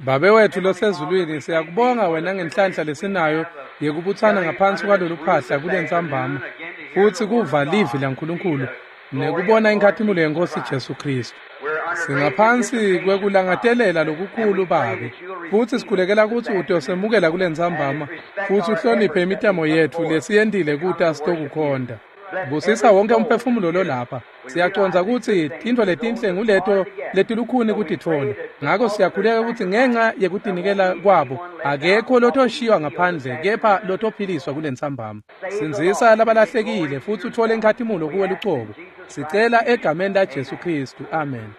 Babe wethu losezulwini, siyakubonga wena ngenhlanhla lesinayo yekubutsana ngaphansi kwalolu phahla kulentsambama, futsi kuva livi laNkulunkulu nekubona inkhatimulo yeNkhosi Jesu Khristu. Singaphansi kwekulangatelela lokukhulu Babe, futsi sikhulekela kutsi utosemukela kulentsambama futsi uhloniphe imitamo yetfu lesiyentile kuta sitokukhonta. Busisa wonke umphefumulo lolapha. Siyacondza kutsi tintfo letinhle nguleto letilukhuni kutitfola. Ngako siyakhuleka kutsi ngenxa yekutinikela kwabo akekho lotoshiywa ngaphandle kepha lotophiliswa kulentsambama. Sindzisa labalahlekile futsi utfole inkhatimulo kuwe lucobo. Sicela egameni laJesu Khristu. Amen.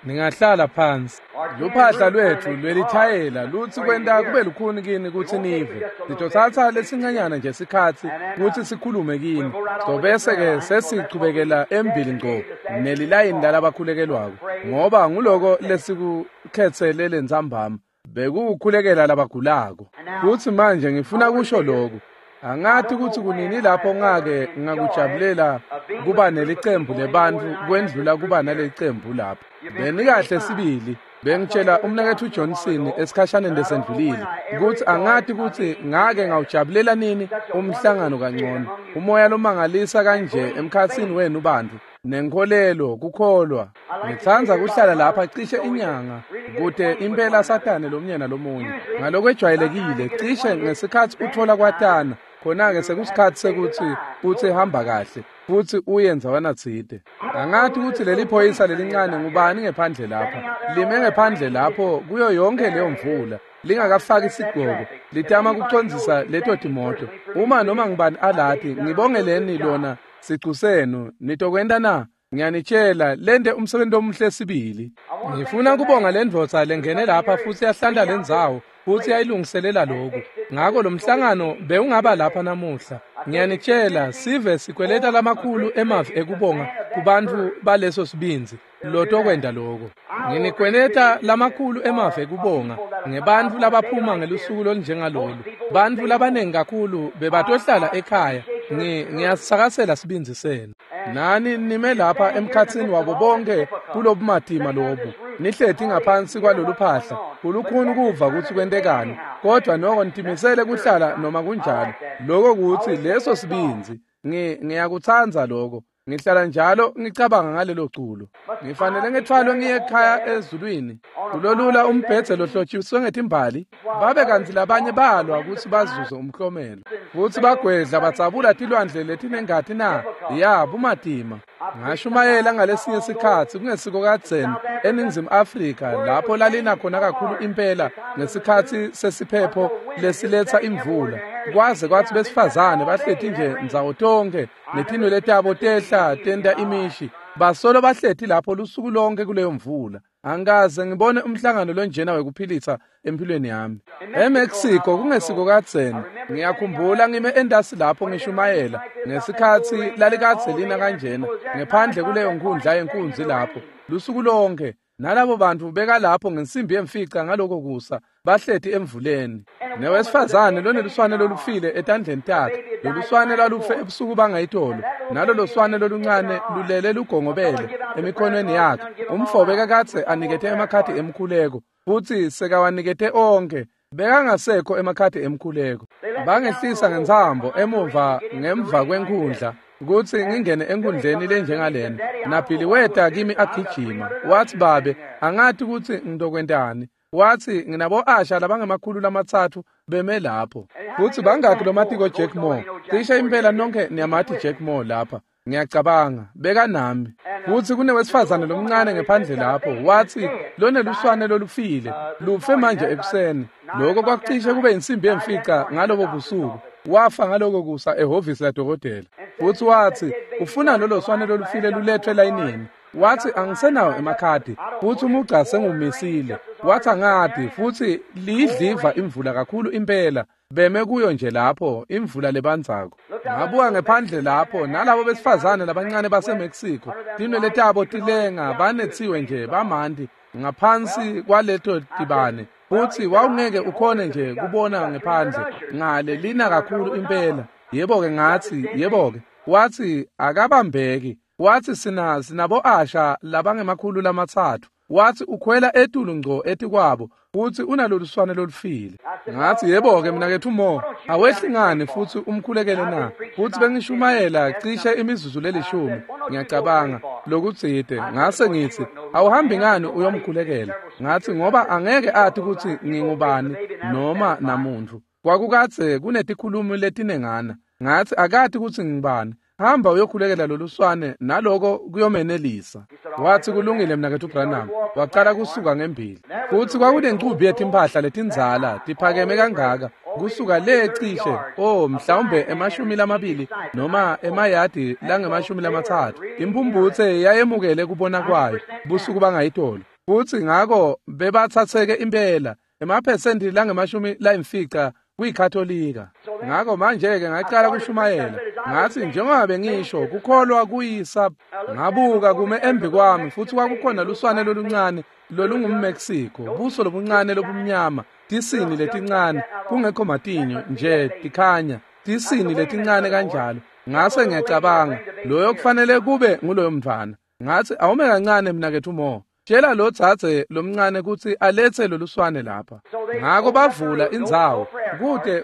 Ningahlala phansi. Luphahla lwetfu lwelithayela lutsi kwenta kube lukhuni kini kutsi nive. Sitotsatsa lesincanyana nje sikhatsi kutsi sikhulume kini. Sitobese-ke sesichubekela embili ngco nelilayini lalabakhulekelwako, ngoba nguloko lesikukhetsele lentsambama, bekuwukhulekela labagulako. Futsi manje ngifuna kusho loku. Angati kutsi kunini lapho ngake ngakujabulela kuba nelicembu lebantfu kwendlula kuba nalelicembu lapha. Benikahle sibili. Bengitshela umnaketfu Johnson esikhashaneni lesendlulile kutsi angati kutsi ngake ngawujabulela nini umhlangano kangcono. Umoya lomangalisa kanje emkhatsini wenu bantfu nenkholelo kukholwa. Ngitsandza kuhlala lapha cishe inyanga kute impela satane lomunye nalomunye. Ngalokwejwayelekile cishe ngesikhatsi utfola kwatana, khona-ke sekusikhatsi sekutsi utsi hamba kahle futsi uye ndzawana tsite. Angati kutsi leli phoyisa lelincane ngubani ngephandle lapha. Lime ngephandle lapho kuyo yonke leyo mvula, lingakafaki sigqoko, litama kucondzisa leto timoto. Uma noma ngubani alati, ngibongeleni lona sicu senu. Nitokwenta na? Ngiyanitshela, lente umsebenzi omuhle sibili. Ngifuna kubonga lendvodza lengene lapha futsi yahlanta lendzawo futsi yayilungiselela loku. Ngako lo mhlangano bewungaba lapha namuhla. Ngiyanitshela, sive sikweleta lamakhulu emavi ekubonga kubantfu baleso sibindzi lotokwenta loko. Nginikweneta lamakhulu emavi ekubonga ngebantfu labaphuma ngelusuku lolunjengalolu. Bantfu labanengi kakhulu bebatohlala ekhaya. Ngiyasakasela sibindzi senu. Nani nime lapha emkhatsini wabo bonke kulobumatima lobu. Nihleti ngaphansi kwalolu phahla. Kulukhuni kuva kutsi kwentekani, kodvwa noko nitimisele kuhlala noma kunjalo. Loko kutsi leso sibindzi. Ngiyakutsandza loko. Ngihlala njalo ngicabanga ngalelo culo. Ngifanele ngithwalwe ngiye ekhaya ezulwini. Kulolula umbhedze lohlotshiswe ngetimbali, babe kantsi labanye balwa kutsi bazuze umklomelo. Futsi bagwedla batsabula tilwandle letinengati na? Ya, bumatima. Ngashumayela ngalesinye sikhatsi kungesiko kadzeni eNingizimu Afrika lapho lalina khona kakhulu impela ngesikhatsi sesiphepho lesiletsa imvula. Kwaze kwatsi besifazane bahleti nje ndzawo tonkhe netinwele tabo tehla tenta imishi. Basolo bahleti lapho lusuku lonke kuleyo mvula. Angikaze ngibone umhlangano lonjena wekuphilisa empilweni yami. EMexico kungesiko kadzeni, ngiyakhumbula ngime entasi lapho ngishumayela ngesikhatsi lalikadze lina kanjena ngephandle kuleyo nkundla yenkunzi lapho lusuku lonke. Nalabo bantfu bekalapho ngensimbi yemfica ngaloko kusa bahleti emvuleni. Newesifazane loneluswane lolufile etandleni takhe. Loluswane lwalufe ebusuku bangayitolo, nalolo swane loluncane lulele lugongobele emikhonweni yakhe. Umfo bekakadze anikete emakhadi emkhuleko futsi sekawanikete onkhe. Bekangasekho emakhadi emkhuleko. Bangehlisa ngentsambo emuva ngemva kwenkhundla kutsi ngingene enkundleni lenjengalena. Nabhili weta kimi agijima. Watsi, babe, angati kutsi ngitokwentani. Watsi, nginabo asha labangemakhulu 3 beme lapho. Futsi bangakhi lomatiko Jack Moore? Cishe impela nonke niyamati Jack Moore lapha. Ngiyacabanga bekanami. Futsi kunewesifazane lomncane ngephandle lapho. Watsi loneluswane lolufile, lufe manje ekuseni. Loko kwakucishe kube insimbi yemfica ngalobo busuku. Wafa ngaloko kusa ehhovisi ladokotela. Futsi watsi ufuna lolo swane lolufile lulethwe elayinini. Watsi angisenawo emakhadi futsi umugca sengumisile. Watsi angati futsi liyidliva imvula kakhulu impela. Beme kuyo nje lapho imvula lebandzako. Ngabuka ngephandle lapho nalabo besifazane labancane baseMexico, tinwele tabo tilenga banetsiwe nje bamanti ngaphansi kwaleto tibane. Futsi wawungeke ukhone nje kubona ngephandle ngale lina kakhulu impela. Yebo-ke ngatsi, yebo-ke. Watsi akabambeki. Watsi sinabo asha labangemakhulu 3. Wathi ukhwela etulu ngco etikwabo futhi unaloluswane lolufile. Ngathi yebo-ke mnaketfu Mo, awehli ngani futhi umkhulekele na? Futhi bengishumayela cishe imizuzu lelishumi, ngiyacabanga, lokutsite. Ngase ngithi, awuhambi ngani uyomkhulekela? Ngathi ngoba angeke athi kutsi ngingubani noma namuntfu. Kwakukadze kunetikhulumi letinengana. Ngathi akati kutsi ngibani. Hamba uyokhulekela loluswane naloko kuyomenelisa. Wathi kulungile mnaketfu Branham. Waqala kusuka ngembili. Futhi kwakunencumbi yetimphahla letindzala tiphakeme kangaka kusuka le cishe mhlawumbe 20 noma emayadi lange-30. Impumputse yayemukele kubona kwayo busuku bangayitolo. Futhi ngako bebathatheke impela emaphesenti lange-50 kuyikatholika. Ngako manje-ke ngaqala kushumayela. Ngathi njengoba bengisho kukholwa kuyisa. Ngabuka kume embi kwami futhi kwakukhona luswane loluncane lolungumMexico, buso lobuncane lobumnyama, tisini letincane, kungekho matinyo nje tikhanya, tisini letincane kanjalo. Ngase ngiyacabanga loyo kufanele kube nguloyo mntwana. Ngathi awume kancane mnaketfu Mo, tshela lo dzadze lomncane kutsi alethe loluswane lapha. Ngako bavula indzawo,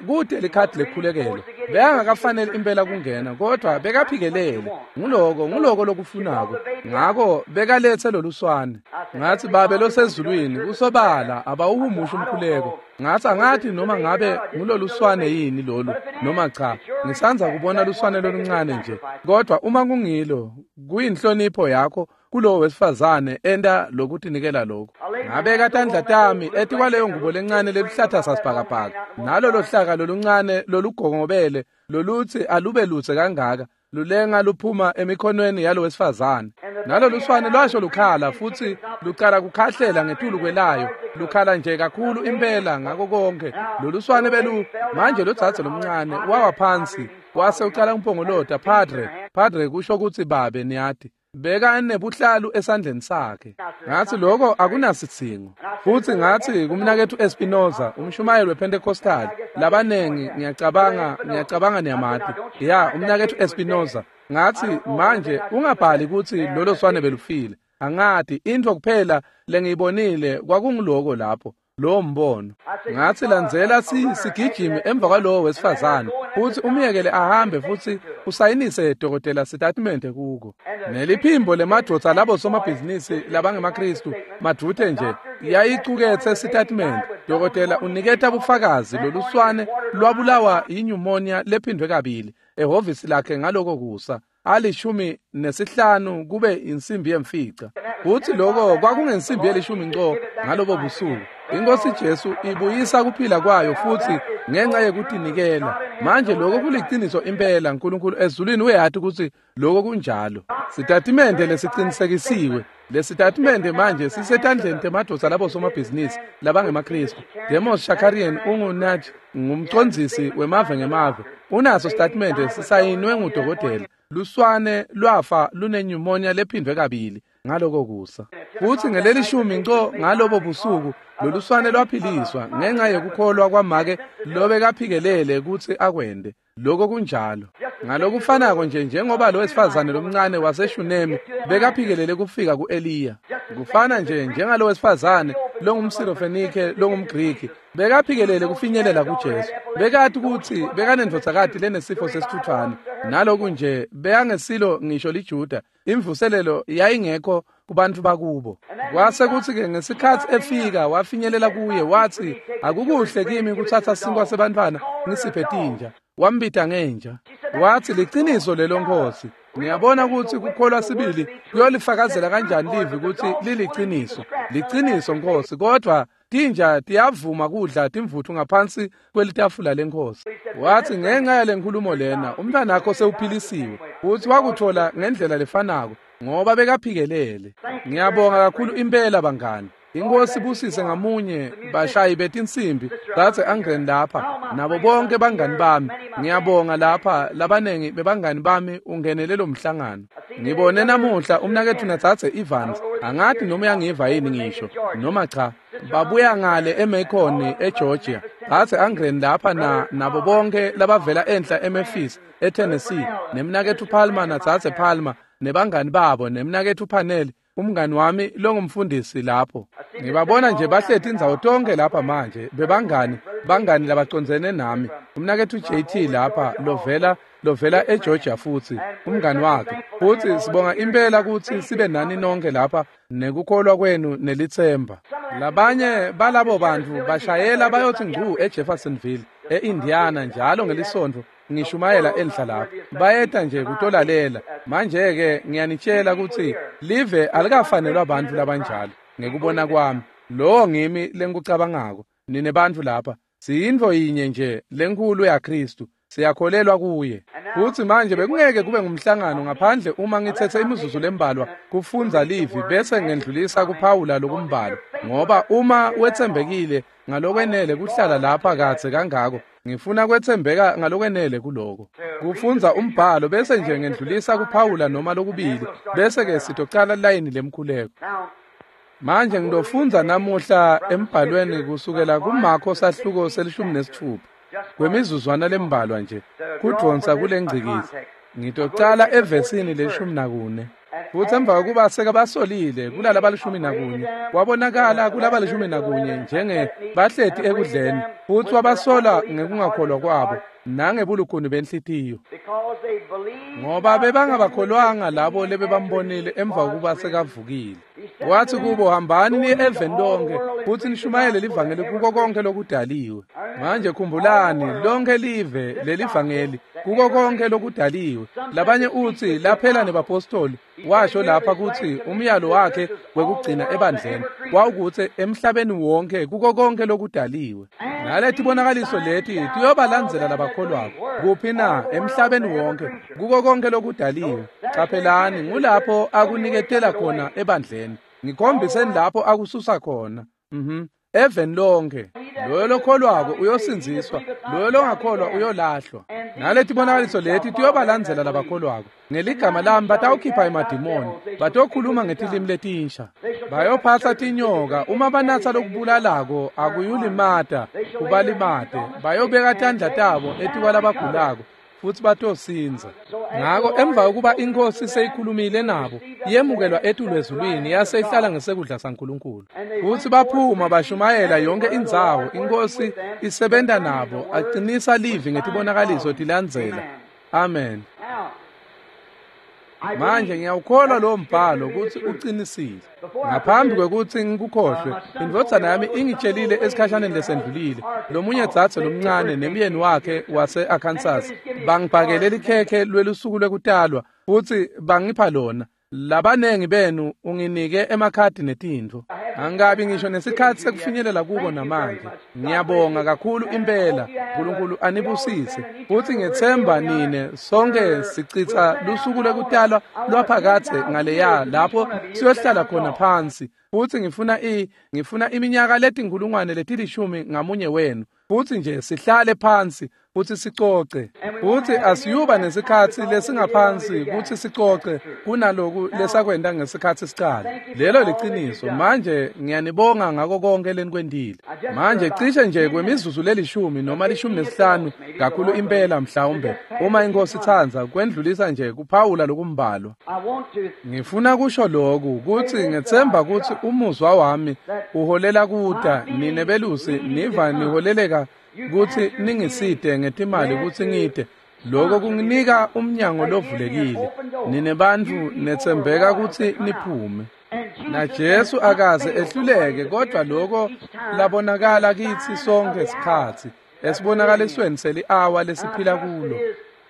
kude likhadi lekhulekelo. Bekangakafanele impela kungena, kodwa bekaphikelele. Nguloko lokufunako. Ngako bekalethe loluswane. Ngathi babe losezulwini kusobala abawuhumusha umkhuleko. Ngathi angathi noma ngabe nguloluswane yini lolu noma cha. Ngisandza kubona luswane loluncane nje. Kodwa uma kungilo, kuyinhlonipho yakho kulowo wesifazane enta lokutinikela lokho. Ngabeka tandla tami etikwaleyo ngubo lencane leluhlatha sasibhakabhaka, nalolo hlaka loluncane lolugongobele lolutsi alube lutse kangaka lulenga luphuma emikhonweni yalo wesifazane. Naloluswane lwasho lukhala futhi lucala kukhahlela ngetulu kwelayo, lukhala nje kakhulu impela ngako konke. Loluswane belu manje lodzadze lomncane wawa phansi wase ucala umpongolota, Padre, Padre kusho kutsi babe, niyati. Beka nebuhlalu esandleni sakhe. Ngathi lokho akunasidzingo. Futhi ngathi kumnaketfu Espinoza, umshumayeli wePentecostal, labanengi ngiyacabanga niyamati. Ya, umnaketfu Espinoza. Ngathi manje ungabhali kutsi lolo swane belufile. Angati intfo kuphela lengiyibonile kwakunguloko lapho, lowo mbono. Ngathi landzela sigijimi emva kwalowo wesifazane futhi umyekele ahambe futhi usayinise dokotela sitatimende kuko. Neliphimbo lemadvodza labo somabhizinisi labangemaKristu madvute nje yayicuketse sitatimende. Dokotela uniketa bufakazi loluswane lwabulawa yinyumonia lephindwe kabili ehhovisi lakhe ngaloko kusa 15 kube insimbi yemfica. Futhi lokho kwakungensimbi yelishumi nco ngalobo busuku. Inkosi Jesu ibuyisa kuphila kwayo futhi ngenxa yekutinikela. Manje lokho kuliciniso impela. uNkulunkulu ezulwini uyati ukuthi lokho kunjalo. Sitatimende lesicinisekisiwe. Lesitatimende manje sisetandleni temadvodza labo somabhizinisi labangemaKristu. Demos Shakarian ungunaj ngumcondzisi wemave ngemave. Unaso sitatimende sisayinwe ngudokotela. Luswane lwafa lunenyumonia lephindwe kabili ngaloko kusa. Futhi ngelelishumi nco ngalobo busuku loluswane lwaphiliswa ngenxa yekukholwa kwamake lobekaphikelele kutsi akwende. Lokho kunjalo. Ngalokufanako nje njengoba lo wesifazane lomncane waseShunemi bekaphikelele kufika kuEliya. Kufana nje njengalo wesifazane longumSirofenike longumGriki bekaphikelele kufinyelela kuJesu. Bekati kutsi bekanendvodzakati lenesifo sesithuthwane. Naloku nje bekangesilo ngisho liJuda. Imvuselelo yayingekho kubantu bakubo. Kwase kutsi-ke ngesikhatsi efika wafinyelela kuye wathi akukuhle kimi kuthatha sinkwa sebantfwana ngisiphe tinja. Wambita ngenja. Wathi liciniso lelo Nkosi. Ngiyabona ukuthi kukholwa sibili kuyolifakazela kanjani livi ukuthi liliciniso. Liciniso Nkosi, kodwa tinja tiyavuma kudla timvuthu ngaphansi kwelitafula lenkosi. Wathi ngenxa yale nkulumo lena umntwana wakho sewuphilisiwe. Uthi wakuthola ngendlela lefanako ngoba bekaphikelele. Ngiyabonga kakhulu impela bangani. Inkosi busise ngamunye bashayi betinsimbi dzadze Angren lapha nabo bonke bangani bami. Ngiyabonga lapha labanengi bebangani bami ungenele lo mhlangano. Ngibone namuhla umnaketfu nadzadze Evans, angathi noma uyangiva yini ngisho noma cha. Babuya ngale eMacon eGeorgia. Dzadze Angren lapha nabo bonke labavela enhla eMemphis eTennessee, nemnaketfu Palmer nadzadze Palmer nebangani babo, nemnaketfu Panel. umngani wami longumfundisi lapho. Ngibabona nje bahleti indzawo tonke lapha manje, bebangani, bangani labacondzene nami. Umnaketfu JT lapha lovela eGeorgia futhi, umngani wakhe. Futhi sibonga impela kutsi sibe nani nonke lapha nekukholwa kwenu nelitsemba. Labanye balabo bantfu bashayela bayotsi ngcu eJeffersonville, eIndiana njalo ngelisonto ngishumayela enhla lapho. Bayeta nje kutolalela. Manje-ke ngiyanitshela kutsi live alikafanelwa bantfu labanjalo ngekubona kwami. Lowo ngimi lengikucabangako. Nine bantfu lapha siyintfo yinye nje lenkhulu yaKhristu. Siyakholelwa kuye. Futsi manje bekungeke kube ngumhlangano ngaphandle uma ngitsetse imizuzu lembalwa kufundza livi bese ngendlulisa kuphawula lokumbalwa, ngoba uma wetsembekile ngalokwenele kuhlala lapha kadze kangako, ngifuna kwetsembeka ngalokwenele kuloko. Kufundza umbhalo bese nje ngendlulisa kuphawula noma lokubili bese ke sitocala layini lemkhuleko. Manje ngidofundza namuhla embhalweni kusukela kuMarko sahluko se-16. Kwemizuzwana lembalwa nje kudvonsa kulengcikizi. Ngitocala evesini le-14. Futhi emva kokuba sekabasolile kulaba 11, wabonakala kulaba 11 njenge bahleti ekudleni, futhi wabasola ngekungakholwa kwabo nangebulukhuni benhlitiyo, ngoba bebangabakholwanga labo lebebambonile emva kokuba sekavukile. Wathi kubo, hambani niye eveni lonke futhi nishumayele livangeli kuko konke lokudaliwe. Manje khumbulani, lonke live lelivangeli kuko konke lokudaliwe. Labanye uthi laphela nebapostoli, washo lapha kutsi umyalo wakhe wekugcina ebandleni wawukutsi emhlabeni wonke kuko konke lokudaliwe. Naletibonakaliso leti tiyobalandzela labakholwako. Kuphi na? Emhlabeni wonke kuko konke lokudaliwe. Caphelani, ngulapho akuniketela khona ebandleni. Ngikhombiseni lapho akususa khona. Eveni lonke. Loyo lokholwako uyosindziswa, loyo longakholwa uyolahlwa. Naletibonakaliso leti tiyobalandzela labakholwako. Ngeligama lami batawukhipha emadimoni, batokhuluma ngetilimi letinsha. Bayophatsa tinyoka, uma banatsa lokubulalako akuyulimata, kubalimate. Bayobeka tandla tabo etikwalabagulako futhi batosindza. Ngako emva kokuba inkosi seyikhulumile nabo, yemukelwa etulu ezulwini yase ihlala ngesekudla saNkulunkulu. Futhi baphuma bashumayela yonke indzawo, inkosi isebenta nabo, aqinisa livi ngetibonakaliso tilandzela. Amen. Manje ngiyawukholwa lo mbhalo kutsi uqinisile. Ngaphambi kwekutsi ngikukhohlwe, indvodzana yami ingitshelile esikhashaneni lesendlulile, lomunye dzadze lomncane nemyeni wakhe wase-Arkansas bangibhakele likhekhe lwelusuku lwekutalwa futsi bangipha lona. Labanengi benu unginike emakhadi netintfo. Angikabi ngisho nesikhatsi sekufinyelela kuko namanje. Ngiyabonga kakhulu impela. Nkulunkulu anibusise. Futhi ngethemba nine sonke sichitha lusuku lwekutalwa lwaphakadze ngaleya lapho siyohlala khona phansi. Futhi ngifuna iminyaka letinkulungwane letilishumi ngamunye wenu. Futhi nje sihlale phansi futhi sicoce. Futhi asiyuba nesikhatsi lesingaphansi kutsi sicoce kunaloku lesakwenta ngesikhatsi sicala. Lelo liciniso. Manje ngiyanibonga ngako konke lenikwentile. Manje cishe nje kwemizuzu lelishumi noma 15 kakhulu impela mhlawumbe, uma inkosi itsandza, kwendlulisa nje kuphawula lokumbalwa. Ngifuna kusho loku kutsi ngethemba kutsi umuzwa wami uholela kuta nine belusi niva niholeleka kutsi ningisite ngetimali kutsi ngite. Lokho kunginika umnyango lovulekile. Nine bantfu netsembeka kutsi niphume. Na Jesu akaze ehluleke, kodwa lokho labonakala kitsi sonke sikhatsi esibonakalisweni seli-awa lesiphila kulo.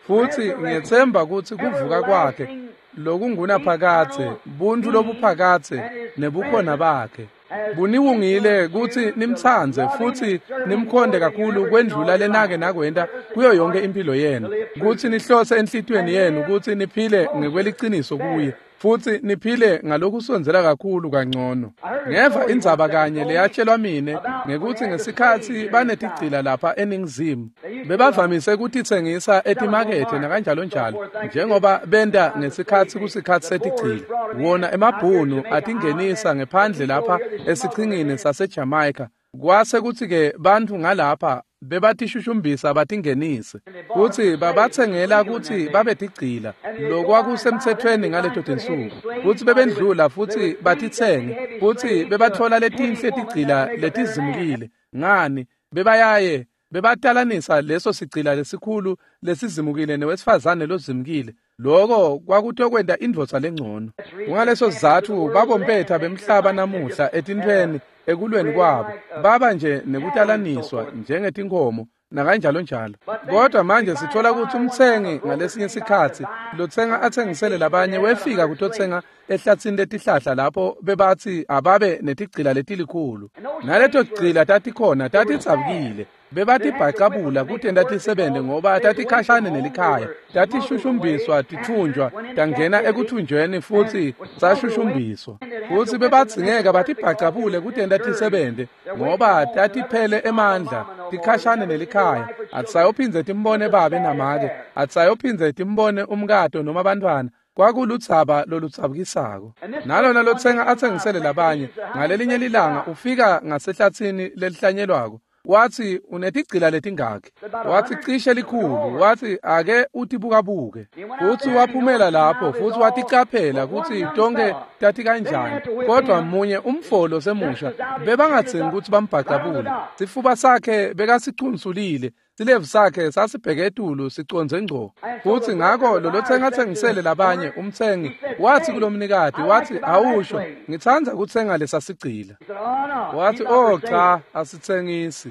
Futhi ngiyethemba kutsi kuvuka kwakhe lokungunaphakadze, buntfu lobuphakadze nebukhona bakhe buniwungile kutsi nimtsandze futhi nimkhonde kakhulu kwendlula lenake nakwenta kuyo yonke impilo yenu, kutsi nihlose enhlitiyweni yenu kutsi niphile ngekweliciniso kuye futhi niphile ngalokusondzela kakhulu kangcono. Ngeva indzaba kanye leyatshelwa mine ngekutsi ngesikhatsi banetigcila lapha eNingizimu, bebavamise kutitsengisa etimakethe nakanjalo njalo, njengoba benta ngesikhatsi kusikhatsi setigcila. Wona emabhunu atingenisa ngephandle lapha esichingini saseJamaica. Kwase kutsi-ke bantfu ngalapha Bebatishushumbisa batingenise kutsi babatsengela kutsi babe tigcila, lokwakusemtsetfweni ngaleto tinsuku, kutsi bebendlula futsi batitsenge, kutsi bebatfola letinhle tigcila letizimukile. Ngani, bebayaye bebatalanisa leso sigcila lesikhulu lesizimukile newesifazane lozimukile. Lokho kwakutokwenta indvodza lengcono. Kungaleso sizatfu babompetha bemhlaba namuhla etintfweni ekulweni kwabo baba nje nekutalaniswa njengetinkhomo nakanjalo njalo. Kodwa manje sithola ukuthi umtsengi ngalesinye sikhatsi lotsenga atsengisele labanye wefika kutotsenga ehlatsini letihlahla lapho bebathi ababe netigcila letilikhulu. Naleto tigcila tatikhona tatitsabukile. Bebatibhacabula kutenta tisebente ngoba tatikhashane nelikhaya, tatishushumbiswa tithunjwa, tangena ekuthunjweni futhi sashushumbiswa. Futhi bebadzingeka batibhacabule kutenta tisebente ngoba tatiphele emandla, tikhashane nelikhaya. Atisayophindze timbone babe namake, atisayophindze timbone umkato noma abantwana. Kwakuludzaba loludzabukisako. Nalona lotsenga atsengisele labanye ngalelinye lilanga ufika ngasehlatsini lelihlanyelwako. Wathi unetigcila letingakhi? Wathi cishe likhulu. Wathi ake utibukabuke. Futhi waphumela lapho futhi waticaphela kutsi tonke tati kanjani. Kodwa munye umfolo semusha bebangadzingi kutsi bambhacabule. Sifuba sakhe bekasicunsulile. Silevu sakhe sasibheke etulu sicondze ngco. Futhi ngakho lolotsenga atsengisele labanye umtsengi wathi kulomnikati, wathi awusho ngitsandza kutsenga lesasigcila. Wathi oh cha, asitsengisi.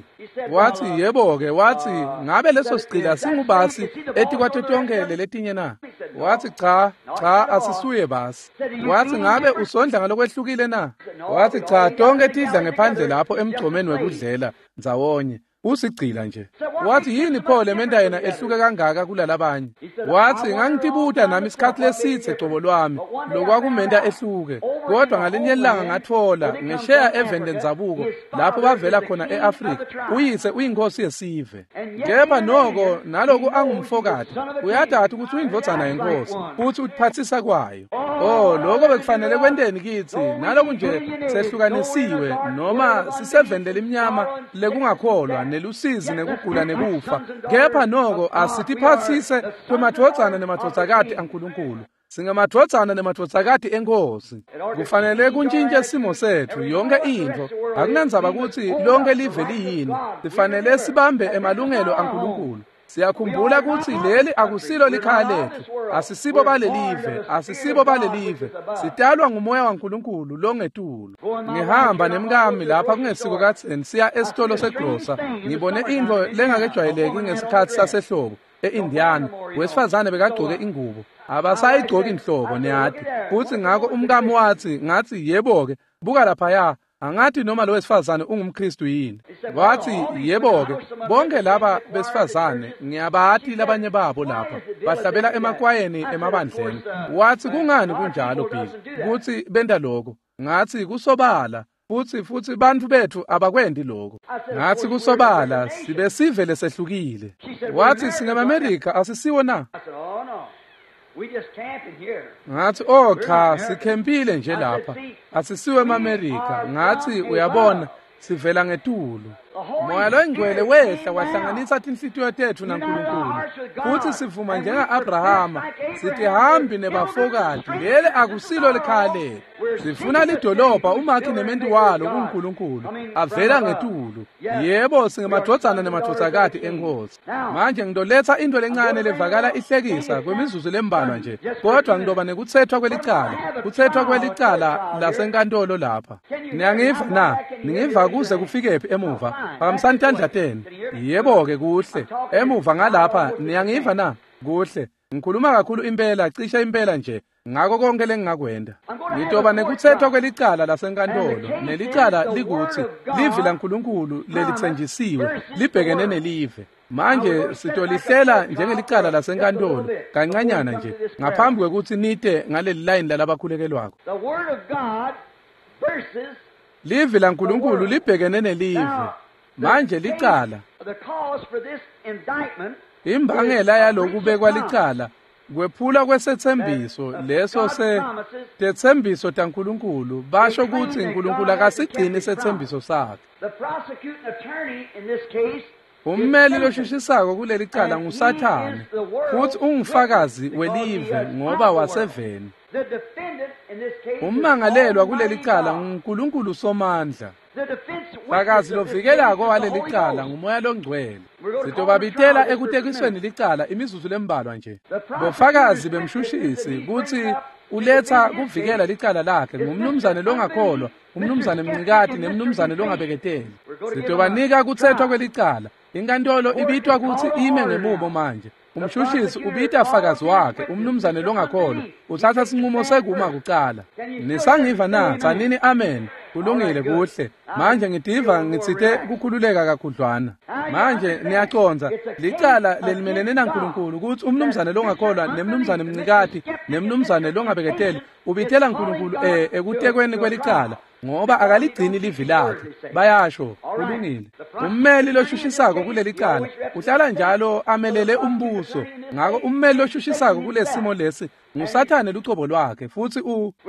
Wathi yebo-ke, wathi ngabe leso sigcila singubasi etikwato tonke leletinye na? Wathi cha, cha asisuye basi. Wathi ngabe usondla ngalokwehlukile na? Wathi cha, tonke tidla ngephandle lapho emgcomeni wekudlela ndzawonye. Usigcila nje. Wathi yini pho lementa yena ehluke kangaka kulalabanye? Wathi ngangitibuta nami isikhathi lesithe cobo lwami lokwakumenta ehluke, kodwa ngalinye ilanga ngathola ngesheya eveni lendzabuko lapho bavela khona eAfrika, uyise uyinkosi yesive. Kepha noko naloku angumfokati uyadada ukuthi uyindvodzana yenkosi futhi utiphatsisa kwayo. Oh, lokho bekufanele kwenteni kitsi naloku nje sehlukanisiwe noma siseveni lelimnyama lekungakholwa nelusizi nekugula nekufa, kepha noko asitiphatsise kwemadvodzana nemadvodzakati aNkulunkulu. Singemadvodzana nemadvodzakati enkosi. Kufanele kuntshintshe simo setfu yonke intfo. Akunandzaba kutsi lonke live liyini, sifanele sibambe emalungelo aNkulunkulu. Siyakhumbula kutsi leli akusilo likhaya letfu, asisibo balelive, asisibo balelive. Sitalwa ngumoya waNkulunkulu longetulu. Ngihamba nemkami lapha kungesiko kadzeni siya esitolo segrosa, ngibone intfo lengakejwayeleki ngesikhatsi sasehlobo e-Indiana. Wesifazane bekagcoke ingubo, abasayigcoki inhlobo niyati. Futhi ngakho umkami wathi, ngathi yebo-ke, buka laphaya, angathi noma lo wesifazane ungumKristu yini. Wathi yebo-ke, bonke laba besifazane ngiyabati labanye babo lapha bahlabela emakwayeni emabandleni. Wathi kungani kunjalo Bill kutsi benta lokho? Ngathi kusobala, futhi bantfu betfu abakwendi lokho. Ngathi kusobala sibe sive lesehlukile. Wathi singemaMerika asisiwo na? Ngathi oh cha, sikhempile nje lapha, asisiwe emaMerika. Ngathi uyabona sivela ngetulu. Moya loyingcwele wehla wahlanganisa tinhlitiyo tetfu naNkulunkulu, futhi sivuma njenga-Abrahama sitihambi nebafokati. Leli akusilo likhaya letfu, sifuna lidolobha umakhi nementi walo kuNkulunkulu avela ngetulu. Yebo, singemadvodzana nemadvodzakati enkosi. Manje ngitoletsa into lencane levakala ihlekisa kwemizuzu lembalwa nje, kodwa ngitoba nekutsethwa kwelicala, kutsethwa kwelicala lasenkantolo lapha. Niyangiva na? Ningiva kuze kufikephi emuva? Phakamisani tandla tenu. Yebo-ke, kuhle. Emuva ngalapha, niyangiva na? Kuhle. Ngikhuluma kakhulu impela, cishe impela nje ngako konke lengingakwenda. Ngitoba nekutsethwa kwelicala lasenkantolo, nelicala likutsi livi laNkulunkulu lelitsenjisiwe libhekene nelive. Manje sitolihlela njengelicala lasenkantolo kancanyana nje ngaphambi kwekutsi nite ngaleli line lalabakhulekelwako. Livi laNkulunkulu libhekene nelive. Manje licala, imbangela yalokubekwa licala kwephula kwesethembiso leso tetsembiso taNkulunkulu. Basho kutsi uNkulunkulu akasigcini sethembiso sakhe. Ummeli loshushisako kuleli cala nguSathane, futhi ungufakazi welive ngoba waseveni. Ummangalelwa kuleli cala nguNkulunkulu Somandla. Fakazi lovikelako waleli cala nguMoya Longcwele. Sitobabitela ekutekisweni licala imizuzu lembalwa nje. Bofakazi bemshushisi kutsi uletha kuvikela licala lakhe ngumnumzane longakholwa, umnumzane Mncikati nemnumzane longabeketeli. Sitobanika kutsethwa kwelicala. Inkantolo ibitwa kutsi ime ngemumo manje. Umshushisi ubita fakazi wakhe, umnumzane longakholwa, utsatsa sinqumo sekuma kucala. Nisangiva na? Tsanini amen. Kulungile, kuhle. Manje ngitiva ngitsite kukhululeka kakhudlwana. Manje niyacondza licala lelimelene naNkulunkulu kutsi umnumzane longakholwa nemnumzane Mncikati nemnumzane longabeketeli ubitela Nkulunkulu ekutekweni kwelicala ngoba akaligcini livi lakhe. Bayasho, kulungile. Ummeli loshushisako kuleli cala uhlala njalo amelele umbuso. Ngako ummeli loshushisako kulesimo lesi nguSathane lucobo lwakhe, futhi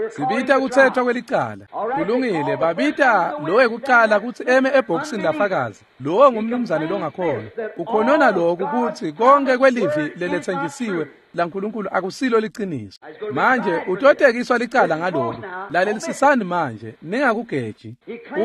sibita kuthethwa kwelicala. Kulungile, babita lo wekucala kutsi eme ebhokisini lafakazi. Lowo ngumnumzane longakholwa. Ukhonona lokhu kutsi konke kwelivi leletsenjisiwe laNkulunkulu akusilo liciniso. Manje utotekiswa licala ngaloko. Lalelisisani manje, ningakugeji.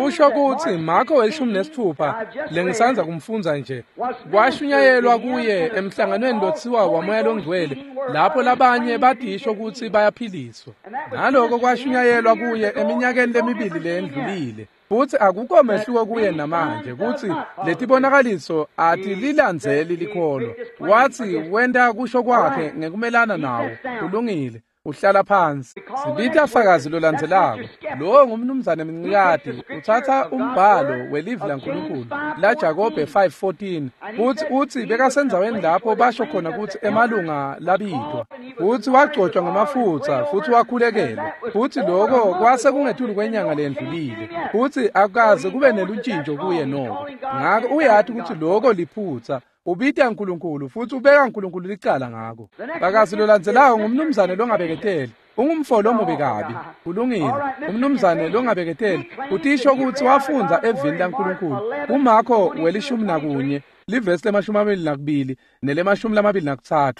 Usho kutsi Marko 16 lengisandza kumfundza nje kwashunyayelwa kuye emhlanganweni lotsiwa waMoya Longcwele, lapho labanye badisho kutsi bayaphiliswa. Naloko kwashunyayelwa kuye eminyakeni lemibili leyendlulile. Futsi akukho mehluko kuye namanje kutsi letibonakaliso atililandzeli likholwa. Watsi wenta kusho kwakhe ngekumelana nawo. Kulungile, uhlala phansi. Sibita fakazi lolandzelako. Lowo ngumnumzane Mncikati, utsatsa umbhalo welivi laNkulunkulu la Jakobe 5:14 kutsi utsi bekasendzaweni lapho basho khona kutsi emalunga labitwa, futsi wagcotshwa ngamafutsa futsi wakhulekelwa, futsi loko kwase kungetulu kwenyanga lendlulile, futsi akukaze kube neluntjintjo kuye noko. Ngako uyati kutsi loko liphutsa. Ubita uNkulunkulu futsi ubeka uNkulunkulu licala ngako. Fakazi lolandzelako ngumnumzane longabeketeli. Ungumfo lomubi kabi. Kulungile. Umnumzane longabeketeli utisho kutsi wafundza evini laNkulunkulu. KuMarko 11 livesi le-22 nele-23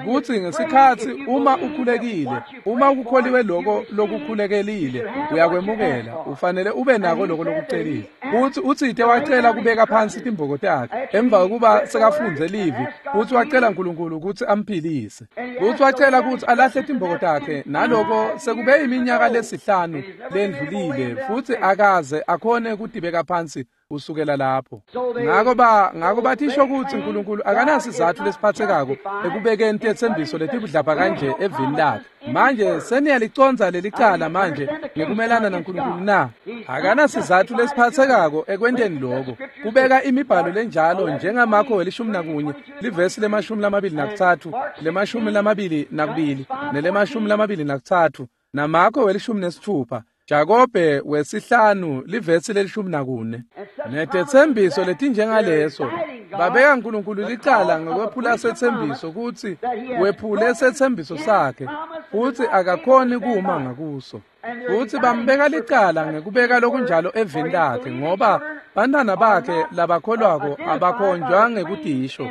kutsi ngesikhatsi uma ukhulekile, uma ukukholiwe loko lokukhulekelile, uyakwemukela, ufanele ube nako loko lokucelile. Kutsi utsite wacela kubeka phansi timboko takhe emva kokuba sekafundze livi, futsi wacela uNkulunkulu kutsi amphilise. Kutsi wacela kutsi alahle timboko takhe, naloko sekube iminyaka lesihlanu lendlulile, futsi akaze akhone kutibeka phansi kusukela lapho. Ngako bathisho kutsi uNkulunkulu akanasizatfu lesiphatsekako ekubekeni tetsembiso letibudlabha kanje evini lakhe. Manje seniyalicondza lelicala manje ngekumelana naNkulunkulu na? Akanasizatfu lesiphatsekako ekwenteni loko. Kubeka imibhalo lenjalo njengaMarko 11 livesi le-23 le-22 nele-23 naMarko 16 Jakobe 5 livesi le-14. Netetsembiso letinjengaleso babeka uNkulunkulu licala ngekwephula setsembiso kutsi wephule setsembiso sakhe, futsi akakhoni kuma ngakuso. Futsi bambeka licala ngekubeka lokunjalo evini lakhe, ngoba bantwana bakhe labakholwako abakhonjwa ngekutisho,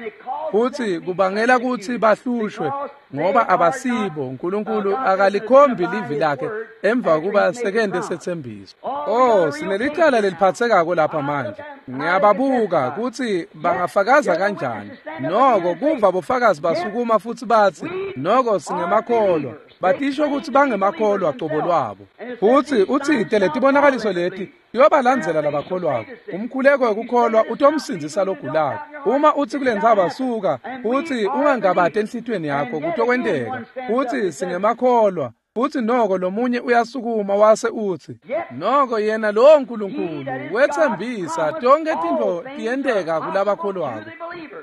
futsi kubangela kutsi bahlushwe ngoba abasibo. uNkulunkulu akalikhombi livi lakhe emva kuba sekente setsembiso. Oh, sinelicala leliphatsekako lapha manje. Ngiyababuka kutsi bangafakaza kanjani. Noko kuva bofakazi basukuma futsi batsi noko singemakholwa. Batisho kutsi bangemakholwa cobo lwabo. Futsi utsite letibonakaliso leti tiyobalandzela labakholwako. Umkhuleko wekukholwa utomsindzisa logulako. Uma utsi kulentsaba suka, futsi ungangabati enhlitiyweni yakho, kutokwenteka. Futsi singemakholwa. Futsi noko lomunye uyasukuma wase utsi noko yena lowo Nkulunkulu wetsembisa tonke tintfo tiyenteka kulabakholwako.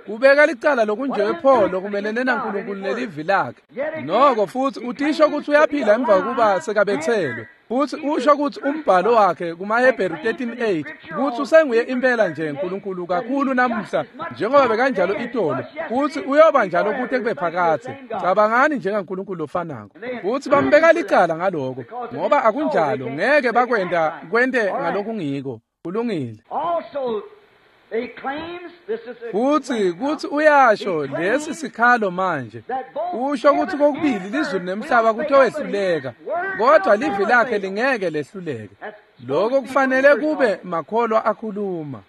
Kubeka licala lokunje pho lokumelene naNkulunkulu nelivi lakhe. Noko futsi utisho kutsi uyaphila emva kokuba sekabetselwe. Futsi usho kutsi umbhalo wakhe kumaHebheru 13:8 kutsi usenguye impela nje uNkulunkulu kakhulu namuhla njengoba bekanjalo itolo, futsi uyoba njalo kute kube phakadze. Cabangani njengaNkulunkulu lofanako. Futsi bambeka licala ngaloko, ngoba akunjalo ngeke bakwenta kwente ngalokungiko. Kulungile. Futhi kuthi uyasho lesi sikhalo manje usho ukuthi kokubili lizulu nemhlaba kutowehluleka, kodwa livi lakhe lingeke lehluleke. Lokho kufanele kube makholwa akhuluma.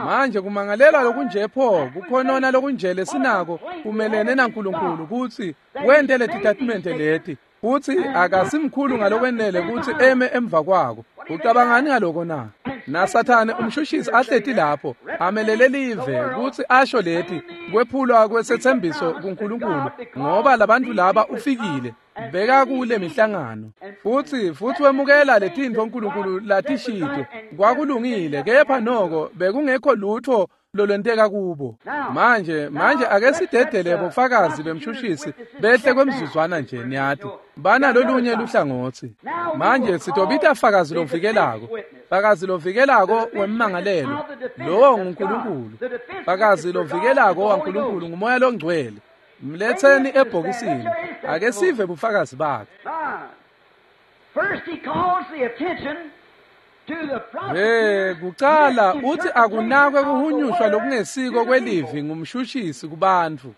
Manje kumangalela lokunje pho kukhonona lokunje lesinako kumelene naNkulunkulu kutsi wente letitatimende leti futhi akasimkhulu ngalokwenele kutsi eme emva kwako. Ucabangani ngaloko na? NaSathane umshushisi ahleti lapho amelele live kutsi asho leti kwephulwa kwesethembiso kuNkulunkulu, ngoba labantu laba ufikile beka kule mihlangano futhi wemukela letintfo uNkulunkulu latishito kwakulungile, kepha noko bekungekho lutho lolwenteka kubo. Manje ake sidedele bofakazi bemshushisi behle kwemzuzwana nje, niyati bana lolunye luhlangotsi. Manje sitobita fakazi lovikelako, fakazi lovikelako wemmangalelo, lowo nguNkulunkulu. Fakazi lovikelako waNkulunkulu nguMoya loNgcwele. Mletheni ebhokisini ake sive bufakazi bakhe. Kucala uthi akunakwe kuhunyushwa lokungesiko kwelivi ngumshushisi kubantfu.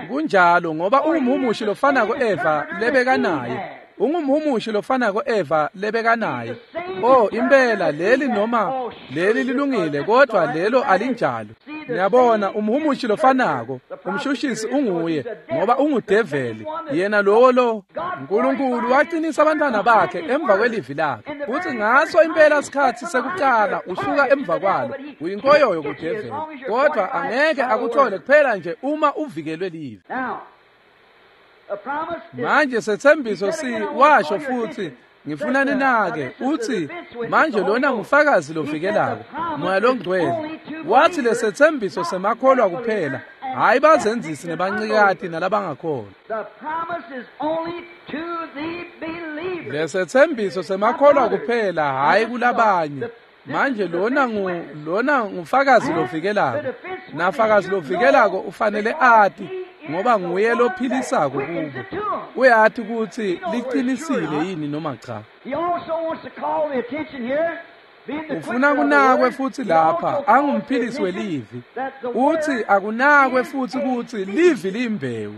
Kunjalo ngoba ungumhumushi lofanako Eva lebekanaye. Ungumhumushi lofanako Eva lebekanaye. Oh, impela leli noma leli lilungile, kodwa lelo alinjalo. Niyabona, umhumushi lofanako umshushisi unguye ngoba ungudeveli yena lowo lo. uNkulunkulu waqinisa abantwana bakhe emva kwelivi lakhe, futhi ngaso impela sikhathi sekuqala usuka emva kwalo uyinkoyoyo kudeveli, kodwa angeke akuthole kuphela nje uma uvikelwe livi. Manje sethembiso si washo futhi ngifuna ninake uthi manje lona ngufakazi lovikelako Moya loNgcwele. Wathi lesethembiso semakholwa kuphela, hayi bazenzisi nebancikati nalabangakholwa. Lesethembiso semakholwa kuphela, hayi kulabanye. Manje lona ngufakazi lovikelako, nafakazi lovikelako ufanele ati ngoba nguye lophilisako kubo. Uyathi ukuthi liqinisile yini noma cha. Ufuna kunakwe futhi lapha angumphilisi welivi. Uthi akunakwe futhi ukuthi livi liyimbewu.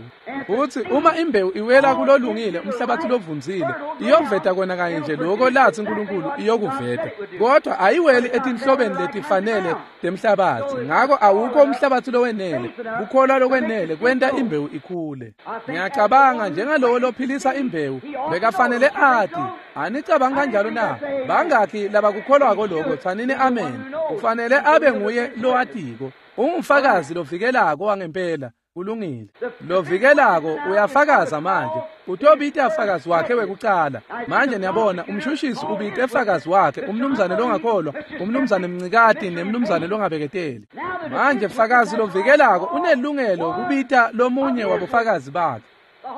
Uthi uma imbewu iwela kulolungile umhlabathi lovunzile iyoveta kona kanye nje lokho lathi uNkulunkulu iyokuveta, kodwa ayiweli etinhlobeni letifanele temhlabathi. Ngako awukho umhlabathi lowenele kukholwa lokwenele kwenta imbewu ikhule. Ngiyacabanga njengalowo lophilisa imbewu bekafanele ati. Anicabanga kanjalo na? Bangakhi labakukholwako lokho? Tsanini amen. Ufanele abe nguye lowatiko, ungufakazi lovikelako wangempela. Kulungile. Lovikelako uyafakaza manje. Utobita fakazi wakhe wekucala. Manje niyabona umshushisi ubite fakazi wakhe, umnumzane longakholwa, umnumzane mncikati nemnumzane longabeketeli. Manje fakazi lovikelako unelungelo kubita lomunye wabofakazi bakhe.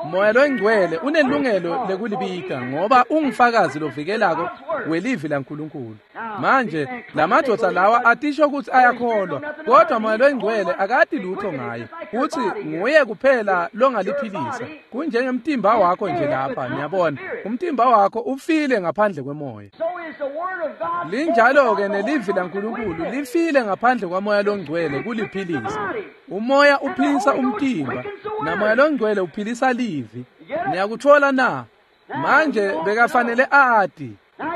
Moya loNgcwele unelungelo lekulibita ngoba ungufakazi lovikelako welivi laNkulunkulu. Manje lamadoda lawa atisho ukuthi ayakholwa, kodwa Moya loNgcwele akati lutho ngaye. Uthi nguye kuphela longaliphilisa. Kunjengemtimba wakho nje lapha, niyabona. Umtimba wakho ufile ngaphandle kwemoya. Linjalo ke nelivi laNkulunkulu lifile ngaphandle kwaMoya loNgcwele kuliphilisa. Umoya uphilisa umtimba, naMoya loNgcwele uphilisa livi. Niyakuthola na? Manje bekafanele ati.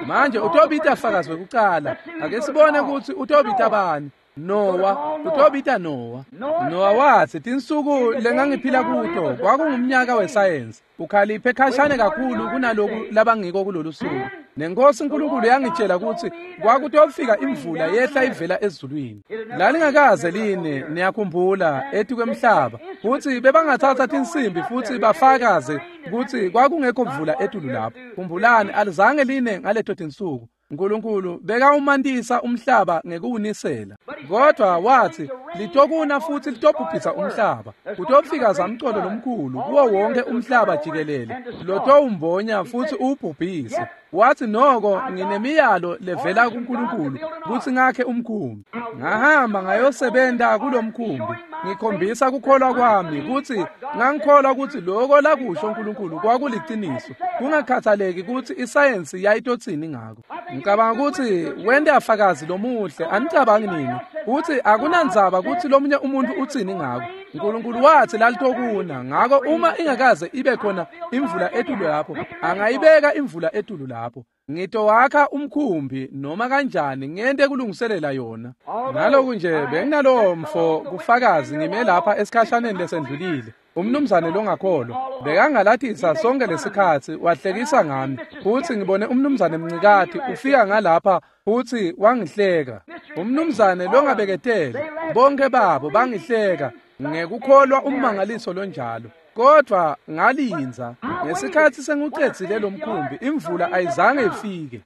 Manje utobita fakazi wekucala. Ake sibone ukuthi utobita bani. Noah, utobita Noah. Noah wathi tinsuku lengangiphila kuto kwakungumnyaka wesayensi. Ukhaliphe khashane kakhulu kunaloku labangiko kulolu suku. Nenkosi uNkulunkulu yangitshela ukuthi kwakutofika imvula yehla ivela ezulwini. Lalingakaze line, niyakhumbula, ethi kwemhlaba. Futhi bebangathatha tinsimbi futhi bafakaze ukuthi kwakungekho mvula etulu lapho. Khumbulani, alizange line ngaleto tinsuku. uNkulunkulu bekawumantisa umhlaba ngekuwunisela, kodwa wathi litokuna futhi litobhubhisa umhlaba. Kutofika zamcolo lomkhulu kuwo wonke umhlaba jikelele, lotowumbonya futhi uwubhubhise. Wathi noko nginemiyalo levela kuNkulunkulu kutsi ngakhe umkhumbi. Ngahamba ngayosebenta kulomkhumbi, ngikhombisa kukholwa kwami kutsi ngangikholwa kutsi lokho lakusho uNkulunkulu kwakuliciniso, kungakhathaleki kutsi isayensi yayitotsini ngako. Ngicabanga ukuthi wente afakazi lomuhle, anicabangi nini? Futsi akunandzaba kutsi lomunye umuntu utsini ngako. Nkulunkulu watsi lalitokuna, ngako uma ingakaze ibe khona imvula etulu lapho, angayibeka imvula etulu lapho. Ngitowakha umkhumbi noma kanjani ngente kulungiselela yona. Naloku nje benginalowo mfo kufakazi ngime lapha esikhashaneni lesendlulile. Umnumzane longakholwa bekangalatisa sonke lesikhatsi wahlekisa ngami, futsi ngibone umnumzane Mncikati ufika ngalapha futsi wangihleka. Umnumzane longabeketeli, bonke babo bangihleka ngekukholwa ummangaliso lonjalo. Kodwa ngalindza ngesikhatsi sengucedzile lomkhumbi, imvula ayizange ifike.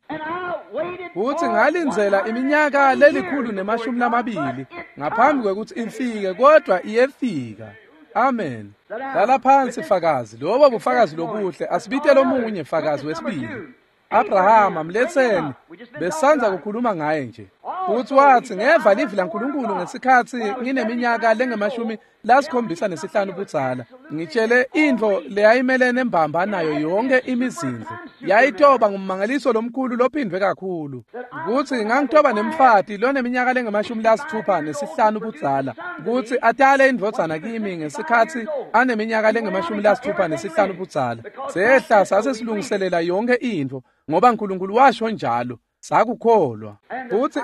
Futsi ngalindzela iminyaka 120 ngaphambi kwekutsi ifike, kodwa iyefika. Amen. Hlala phansi fakazi, lobo bufakazi lobuhle. Asibite lomunye fakazi wesibili. Abrahama mletseni, besandza kukhuluma ngaye nje. Futsi watsi ngeva livi laNkulunkulu ngesikhatsi ngineminyaka lengu-75 budzala. Ngitshele intfo leyayimelene mbamba nayo yonke imizindlo. Yayitoba ngummangaliso lomkhulu lophindvwe kakhulu. Kutsi ngangitoba nemfati loneminyaka lengu-65 budzala, kutsi atale indvodzana kimi ngesikhatsi aneminyaka lengu-65 budzala. Sehla sase silungiselela yonke intfo ngoba uNkulunkulu washo njalo. Sakukholwa. Futsi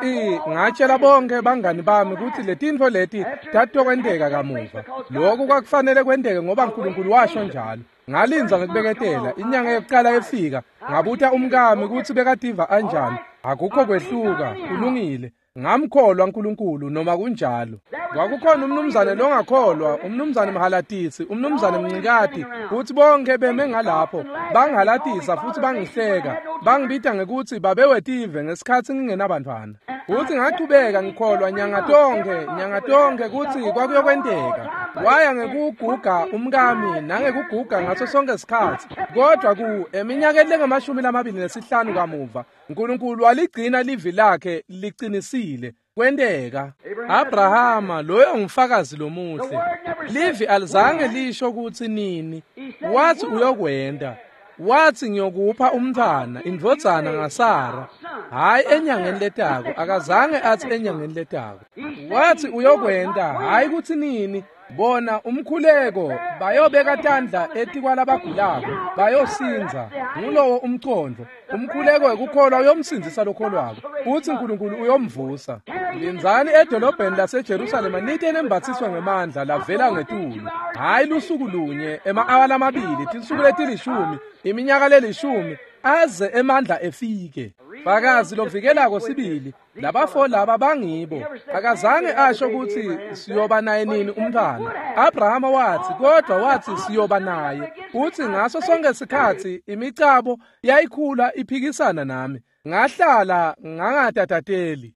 ngatshela bonke bangani bami kutsi letintfo leti tatokwenteka kamuva. Lokhu kwakufanele kwenteke ngoba uNkulunkulu washo njalo. Ngalindza ngekubeketela, inyanga yokuqala efika, ngabuta umkami kutsi bekativa anjani. Akukho kwehluka, kulungile. Ngamkholwa uNkulunkulu noma kunjalo. Kwakukhona umnumzane longakholwa, umnumzane Mhalatisi, umnumzane Mncikati, futsi bonke beme ngalapho bangihalatisa futsi bangihleka, bangibita ngekutsi babewetive ngesikhatsi ngingenabantwana. Futsi ngachubeka ngikholwa nyanga tonkhe kutsi kwakuyokwenteka. Waya ngekuguga umkami nangekuguga ngaso sonke sikhatsi, kodwa ku eminyakeni lengu-25 kamuva uNkulunkulu waligcina livi lakhe liqinisile. Kwenteka. Abrahama loyo ngufakazi lomuhle. Livi alizange lisho kutsi nini. Wathi uyokwenta. Wathi ngiyokupha umntfwana, indvodzana ngaSara. Hayi enyangeni letako, akazange athi enyangeni letako. Wathi uyokwenta, hayi kutsi nini. Bona umkhuleko bayobeka tandla etikwalabagulako bayosindza. Ngulowo umcondvo. Umkhuleko wekukholwa uyomsindzisa lokholwako, futsi uNkulunkulu uyomvusa. Lindzani edolobheni laseJerusalema nite nembathiswe ngemandla lavela ngetulu. Hayi lusuku lunye, ema-awa lamabili, tinsuku leti-10, iminyaka lelishumi, aze emandla efike. Fakazi lovikelako sibili, labafo laba bangibo. Akazange asho kutsi siyoba naye nini umntfwana. Abrahama wathi, kodwa wathi siyoba naye. Uthi ngaso sonke sikhatsi imicabo yayikhula iphikisana nami. Ngahlala ngangatatateli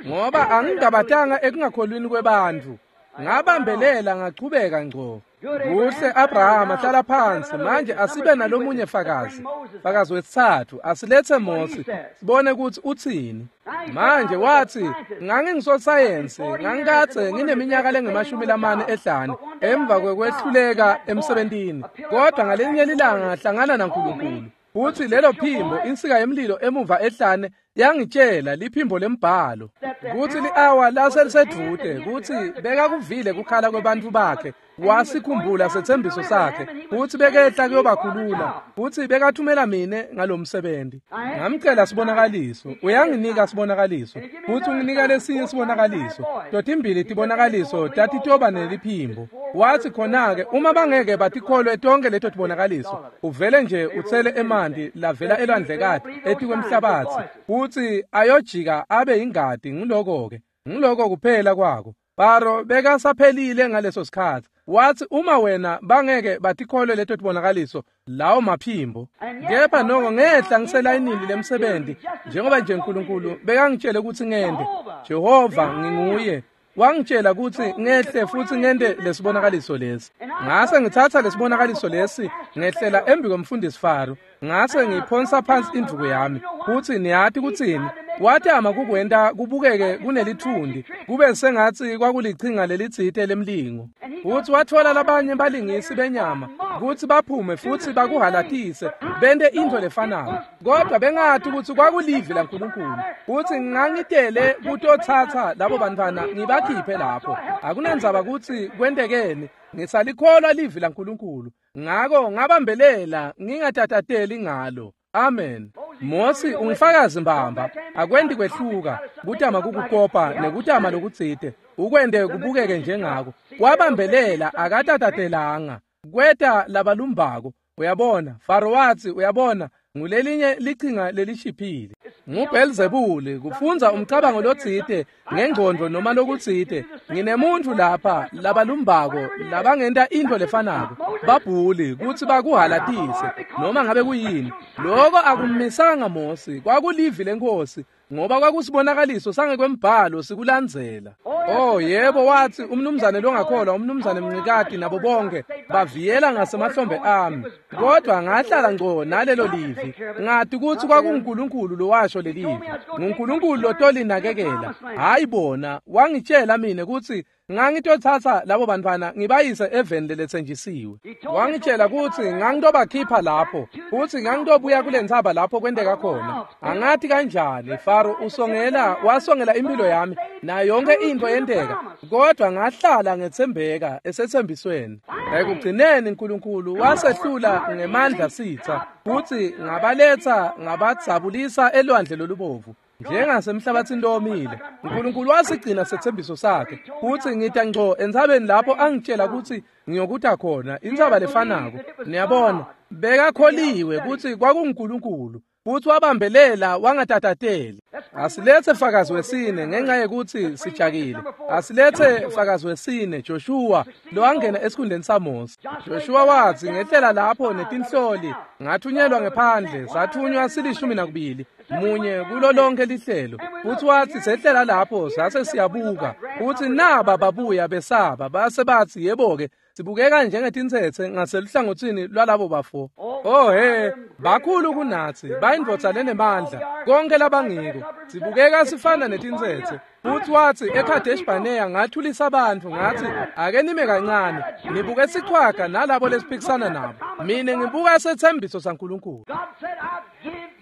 ngoba angingabatanga ekungakholwini kwebantfu. Ngabambelela ngachubeka ngco. Kuhle Abrahama, hlala phansi. Manje asibe nalomunye fakazi. Fakazi wesithathu, asilethe Mose sibone kutsi utsini. Manje wathi ngangingisosayensi, ngangikadze ngineminyaka lengu-40 ehlane emva kwekwehluleka emsebentini, kodwa ngalinye lilanga ngahlangana naNkulunkulu. Futhi lelo phimbo, insika yemlilo emuva ehlane, yangitshela liphimbo lembhalo kutsi li-awa laselisedvute, kutsi bekakuvile kukhala kwebantfu bakhe, wasikhumbula setsembiso sakhe, futsi bekehla kuyobakhulula, futsi bekathumela mine ngalomsebenzi. Ngamcela sibonakaliso, uyanginika sibonakaliso, futsi unginika lesinye sibonakaliso. Totimbili tibonakaliso tatitoba neliphimbo. Wathi khona-ke uma bangeke batikholwe tonke leto tibonakaliso, uvele nje utsele emanti lavela elwandlekati etikwemhlabatsi, futsi ayojika abe ingati. Nguloko-ke, nguloko kuphela kwako. Faro bekasaphelile ngaleso sikhatsi. Wathi uma wena bangeke batikholwe leto tibonakaliso, lawo maphimbo. Kepha noko ngehla ngiselayinini lemsebenzi, njengoba nje uNkulunkulu bekangitshele kutsi ngente. Jehova nginguye wangitshela kutsi ngehle futsi ngente lesibonakaliso lesi. Ngase ngitsatsa lesibonakaliso lesi ngehlela embi kwemfundisi Faro, ngase ngiphonsa phansi indvuku yami. Futsi niyati kutsini? Watama kukwenta kubukeke kunelithundi, kube sengatsi kwakulichinga lelitsite lemlingo. Futsi watfola labanye balingisi benyama kutsi baphume futsi bakuhalatise, bente intfo lefanako. Kodwa bengati kutsi kwakulivi laNkulunkulu. Futsi ngangitele kutotsatsa labo bantfwana ngibakhiphe lapho. Akunandzaba kutsi kwentekeni, ngisalikholwa livi laNkulunkulu. Ngako ngabambelela ngingatatateli ngalo. Amen. Mosi ungifakazi mbamba, akwendi kwehluka, kutama kukukopa nekutama lokutsite, ukwente kubukeke njengako. Wabambelela akatatatelanga. Kweta labalumbako, uyabona, Faro watsi, uyabona, ngulelinye lichinga lelishiphile. NguBelzebuli kufundza umcabango lotsite ngengcondvo noma lokutsite. Nginemuntfu lapha labalumbako labangenta intfo lefanako, babhuli kutsi bakuhalatise noma ngabe kuyini. Loko akummisanga Mosi, kwakulivi leNkhosi, ngoba kwakusibonakaliso sangekwembhalo sikulandzela. Oh yebo, watsi umnumzane longakholwa, umnumzane Mncikati nabo bonke baviyela ngasemahlombe ami, kodwa ngahlala ngco nalelo livi. Ngati kutsi kwakunguNkulunkulu lowasho lelivi, nguNkulunkulu lotolinakekela, hayi bona. Wangitshela mina kutsi ngangitotsatsa labo bantfwana ngibayise eveni leletsenjisiwe. Wangitshela kutsi ngangitobakhipha lapho, futsi ngangitobuya kule ntsaba lapho kwenteka khona. Angati kanjani, Faro usongela, wasongela impilo yami nayo yonke intfo yenteka, kodwa ngahlala ngetsembeka esetsembisweni. Ekugcineni Nkulunkulu wasehlula ngemandla sitsa, futsi ngabaletsa ngabadzabulisa elwandle lolubovu njengasemhlabathini lowomile. Nkulunkulu wasigcina sethembiso sakhe, futsi ngita ngco entsabeni lapho angitshela kutsi ngiyokuta khona, intsaba lefanako. Niyabona, bekakholiwe kutsi kwakunguNkulunkulu, futsi wabambelela wangatatateli. Asilethe fakazi wesine ngenxa yekutsi sijakile. Asilethe fakazi wesine, Joshua, lowangena esikhundleni saMose. Joshua watsi, ngehlela lapho netinhloli, ngathunyelwa ngephandle, sathunywa 12, munye kulo lonke lihlelo. Futsi watsi sehlela lapho sase siyabuka, futsi naba babuya besaba, base batsi, yebo-ke, sibukeka njengetintsetse ngaseluhlangotsini lwalabo bafo. Oh he, bakhulu kunatsi, bayindvodza lenemandla, konke labangiko. Sibukeka sifana netintsetse. Futsi watsi eKadesh Barnea ngathulisa abantu, ngathi ake nime kancane, nibuke sichwaga nalabo lesiphikisana nabo. Mina ngibuka sethembiso saNkulunkulu.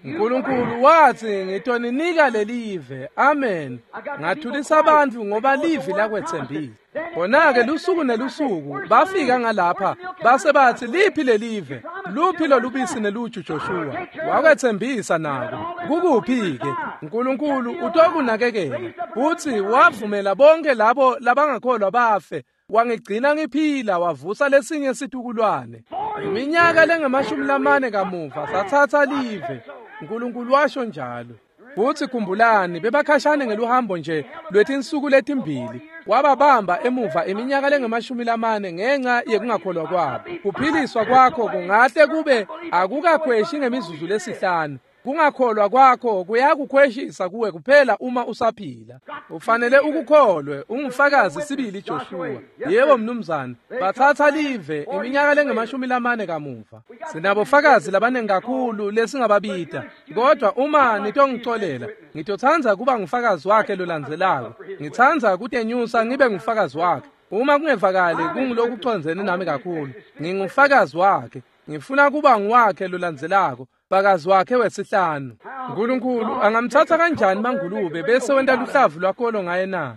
Nkulunkulu watsi ngitoninika lelive. Amen. Ngathulisa abantu ngoba livi lakwetsembisa. Khona-ke lusuku nelusuku bafika ngalapha base batsi, liphi lelive? Luphi lolubisi neluju Joshua? Wakwetsembisa nako. Kukuphi-ke? Nkulunkulu utokunakekela. Futsi wavumela bonke labo labangakholwa bafe. Wangigcina ngiphila, wavusa lesinye situkulwane. Iminyaka lengamashumi 4 kamuva satsatsa live. Nkulunkulu washo njalo. Futsi khumbulani, bebakhashane ngeluhambo nje lwetinsuku letimbili. Wababamba emuva iminyaka lengamashumi 4 ngenxa yekungakholwa kwabo. Kuphiliswa kwakho kungahle kube akukakhweshi ngemizuzu lesihlanu. Kungakholwa kwakho kuyakukhweshisa kuwe kuphela uma usaphila. Ufanele ukukholwe, ungufakazi sibili Joshua. Yebo mnumzane, batsatsa live iminyaka lengamashumi 4 kamuva. Sinabofakazi labanengi kakhulu lesingababita, kodwa uma nitongicolela, ngitotsandza kuba ngufakazi wakhe lolandzelako. Ngitsandza kutenyusa ngibe ngufakazi wakhe. Uma kungevakali kungulokucondzene nami kakhulu, ngingufakazi wakhe. Ngifuna kuba nguwakhe lolandzelako, fakazi wakhe wesihlanu. Nkulunkulu angamtsatsa kanjani mangulube bese wenta luhlavu lwakolo ngaye na?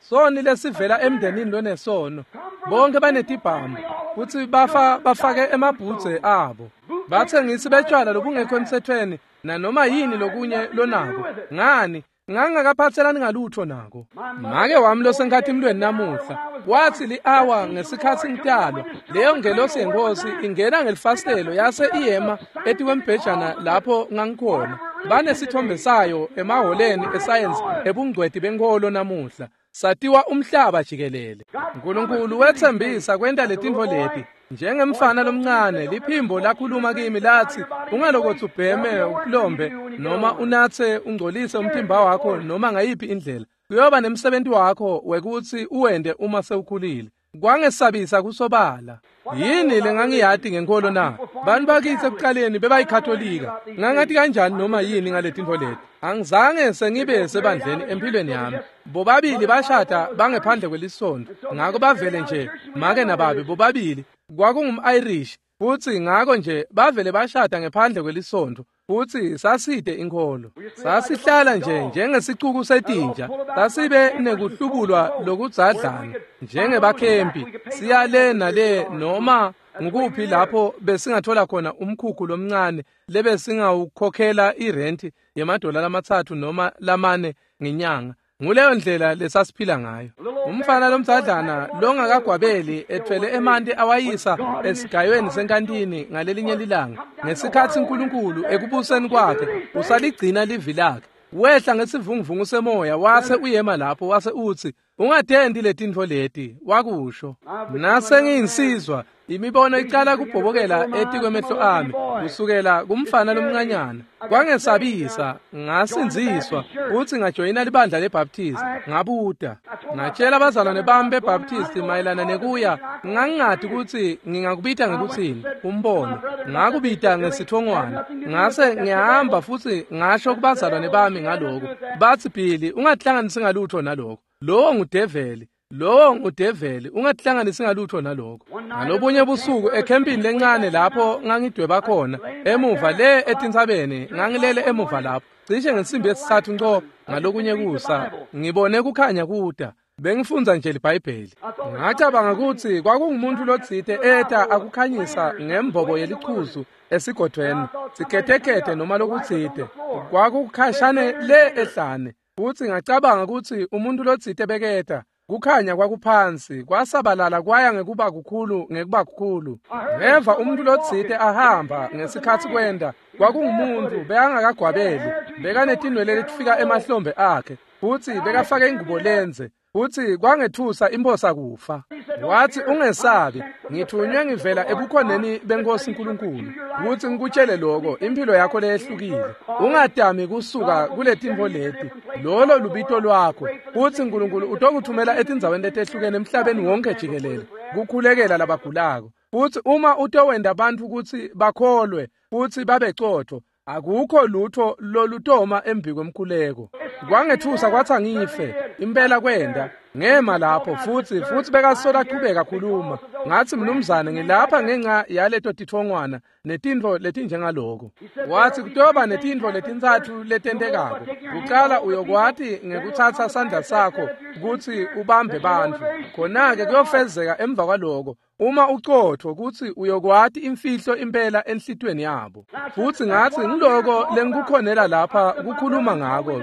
Soni lesivela emndenini lonesono, bonke banetibhamu futsi bafa bafake emabhudze abo. Batsengisi betshwala lobungekho emtsetfweni nanoma yini lokunye lonako. Ngani? Ngangakaphatselani ngalutho nako. Make wami losenkhatimlweni namuhla watsi li-awa ngesikhatsi ngitalwa, leyo ngelosi yeNkhosi ingena ngelifasitelo yase iyema etikwembhejana lapho ngangikhona. Banesithombe sayo emahholeni esayensi ebungcweti benkholo namuhla. Satiwa umhlaba jikelele. Nkulunkulu wetsembisa kwenta letintfo leti. Njengemfana lomncane, liphimbo lakhuluma kimi latsi, ungalokotsi ubheme ukulombe noma unatse ungcolise umtimba wakho noma ngayiphi indlela. Kuyoba nemsebenzi wakho wekutsi uwente uma sewukhulile. Kwangesabisa kusobala. Yini lengangiyati ngenkolo na? Bantu bakithi ekuqaleni bebayikhatholika. Ngangati kanjani noma yini ngaletintfo leti? Angizange sengibe sebandleni empilweni yami. Bobabili bashada bangephandle kwelisonto. Ngako bavele nje make nababe bobabili kwakungum-Irish futhi ngako nje bavele bashada ngephandle kwelisonto. Futhi saside inkholo. Sasihlala nje njengesicuku setinja. Sasibe nekuhlubulwa lokudzadlana njengebakhempi. Siya le nale noma ngukuphi lapho besingathola khona umkhukhu lomncane lebesingawukhokhela irenti yemadola 3 noma 4 ngenyanga. Nguleyo ndlela lesasiphila ngayo. Umfana lomdzadlana longakagwabeli ethwele emanti awayisa esigayweni senkantini ngalelinye lilanga. Ngesikhatsi uNkulunkulu ekubuseni kwakhe usaligcina livi lakhe. Wehla ngesivunguvungu semoya wase uyema lapho wase utsi ungatendi letintfo leti wakusho. Nase ngiyinsizwa imibono icala kubhobokela etikwemehlo ami kusukela kumfana lomncanyana. Kwangesabisa ngasindziswa kutsi ngajoyina libandla leBaptist. Ngabuta ngatshela abazalwane bami beBaptist mayelana nekuya. Ngangingati kutsi ngingakubita ngekutsini umbono. Ngakubita ngesithongwana. Ngase ngihamba futhi ngasho kubazalwane bami ngaloko. Batsi Billy ungatihlanganisi ngalutho naloko. Lowo ngudeveli. Lowo ngudeveli, ungatihlanganisi ngalutho naloko. Ngalobunye busuku ekhempini lencane lapho ngangidweba khona emuva le etintsabeni, ngangilele emuva lapho cishe ngensimbi yesithathu nco ngalokunye kusa, ngibone kukhanya kuda. Bengifundza nje liBhayibheli. Ngacabanga kutsi kwakungumuntu lotsite eta akukhanyisa ngembobo yelichuzu esigodweni, siketekete noma lokutsite. Kwakukhashane le ehlane. Futsi ngacabanga kutsi umuntu lotsite beketa. Kukhanya kwakuphansi kwasabalala kwaya ngekuba kukhulu ngekuba kukhulu. Ngeva umuntu lotsite ahamba ngesikhatsi kwenda. Kwakungumuntu bekangakagwabeli, bekanetinwele letifika emahlombe akhe, futsi bekafake ingubo lenze. Futsi kwangethusa imphosa kufa. Watsi ungesabi, ngithunywe ngivela ebukhoneni benkosi uNkulunkulu kutsi ngikutshele lokho impilo yakho leyehlukile. Ungadami kusuka kuletintfo leti. Lolo lubito lwakho. Futsi uNkulunkulu utokuthumela etindzaweni letehlukene emhlabeni wonke jikelele kukhulekela labagulako. Futsi uma utowenda bantfu kutsi bakholwe futsi babecotfo, akukho lutho lolutoma embi kwemkhuleko. Kwangethusa kwatsi angife. Impela kwenda. Ngema lapho futsi bekasola achubeka khuluma. Ngatsi mnumzane ngilapha ngenxa yaleto tithongwana netintfo letinjengaloko. Watsi kutoba netintfo letintsatfu letentekako. Kucala uyokwati ngekutsatsa sandla sakho kutsi ubambe bantfu. Khona-ke kuyofezeka emva kwaloko. Uma ucotfo kutsi uyokwati imfihlo impela enhlitweni yabo. Futsi ngatsi ngiloko lengikukhonela lapha kukhuluma ngako.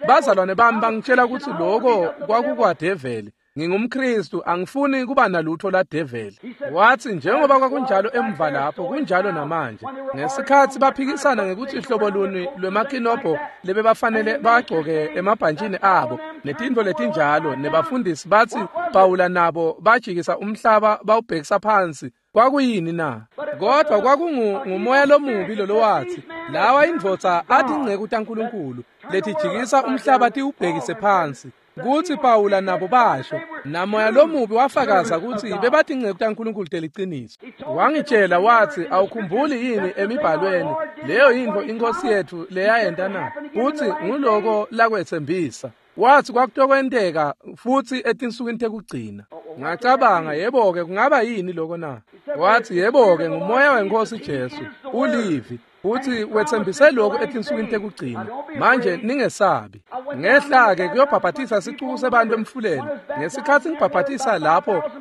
Bazalwane bami bangitshela kutsi loko kwakukwadeveli. NgingumKristu, angifuni kuba nalutho ladeveli. Watsi njengoba kwakunjalo emva lapho kunjalo namanje. Ngesikhatsi baphikisana ngekutsi hlobo luni lwemakinobho lebebafanele bagcoke emabhantshini abo netintfo letinjalo, nebafundisi batsi Pawula nabo bajikisa umhlaba bawubhekisa phansi. Kwakuyini na? Kodwa kwakungumoya lomubi lolowathi lawa indvodza atinceku taNkulunkulu letijikisa umhlaba tiwubhekise phansi. Kutsi Pawula nabo basho namoya lomubi wafakaza kutsi bebatinceku taNkulunkulu teliciniso. Wangitshela watsi awukhumbuli yini emibhalweni leyo yintfo inkosi yethu leyayenta na? Kutsi nguloko lakwetsembisa. Watsi kwakutokwenteka futsi etinsukwini tekugcina. Ngacabanga yebo-ke kungaba yini loko na? Watsi yebo-ke ngumoya wenkosi Jesu ulivi. Futsi wetsembise lokhu etinsukwini tekugcina. Manje ningesabi. Ngehla-ke kuyobhabhatisa sicuku sebantu emfuleni. Ngesikhatsi ngibhabhatisa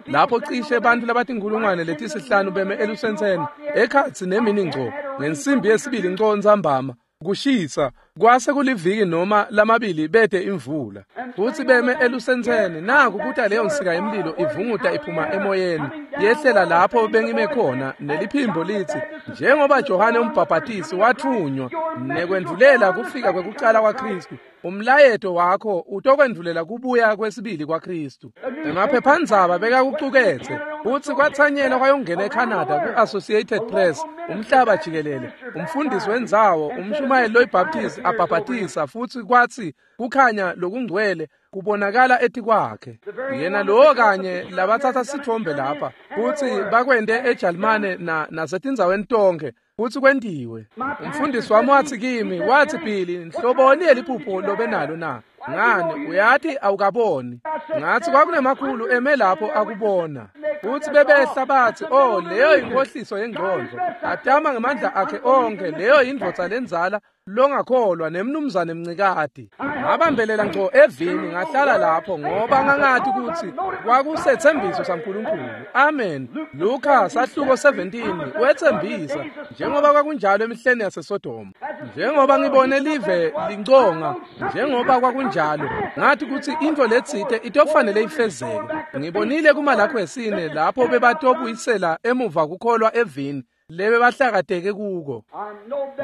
lapho cishe bantu labatinkhulungwane letisihlanu beme elusentseni ekhatsi nemini ngco ngensimbi yesibili nco ntsambama. Kushisa kwase kuliviki noma lamabili bete imvula. Futsi beme elusentseni naku kuta leyo nsika yemlilo ivunguta iphuma emoyeni yehlela lapho bengime khona neliphimbo litsi njengoba Johane umbhabhatisi wathunywa nekwendvulela kufika kwekucala kwaKristu, umlayeto wakho utokwendvulela kubuya kwesibili kwaKristu. Emaphephandzaba bekakucuketse futsi kwatsanyela kwayongena eCanada ku-Associated Press umhlaba jikelele. Umfundisi wendzawo umshumayeli loyiBaptist abhabhatisa futsi kwatsi kukhanya lokungcwele kubonakala etikwakhe. Yena lowo kanye labatsatsa sithombe lapha futsi bakwente eJalimane nasetindzaweni tonkhe futsi kwentiwe. Umfundisi wami watsi kimi, watsi Billy, nhloboni yeliphupho lobenalo na? Ngani, uyati awukaboni. Ngathi kwakunemakhulu eme lapho akubona. Futsi bebehla bathi, oh, leyo inkohliso yengqondo. Atama ngemandla akhe onke, leyo indvodza lenzala longakholwa nemnumzane Mncikati. Ngabambelela ngco evini ngahlala lapho ngoba ngangathi ukuthi kwakusethembiso saNkulunkulu. Amen. Luka sahluko 17 wethembisa njengoba kwakunjalo emihleni yaseSodoma. Njengoba ngibone live linconga, njengoba kwakunjalo, ngathi ukuthi into letsite itofanele ifezeke. Ngibonile kumalakho wesine lapho bebatobuyisela emuva kukholwa evini lebe bahlakateke kuko.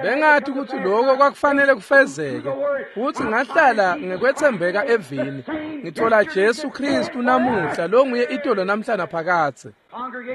Bengathi ukuthi lokho kwakufanele kufezeke, futhi ngahlala ngekwethembeka evini. Ngithola Jesu Kristu namuhla longuye itolo namhla naphakathe.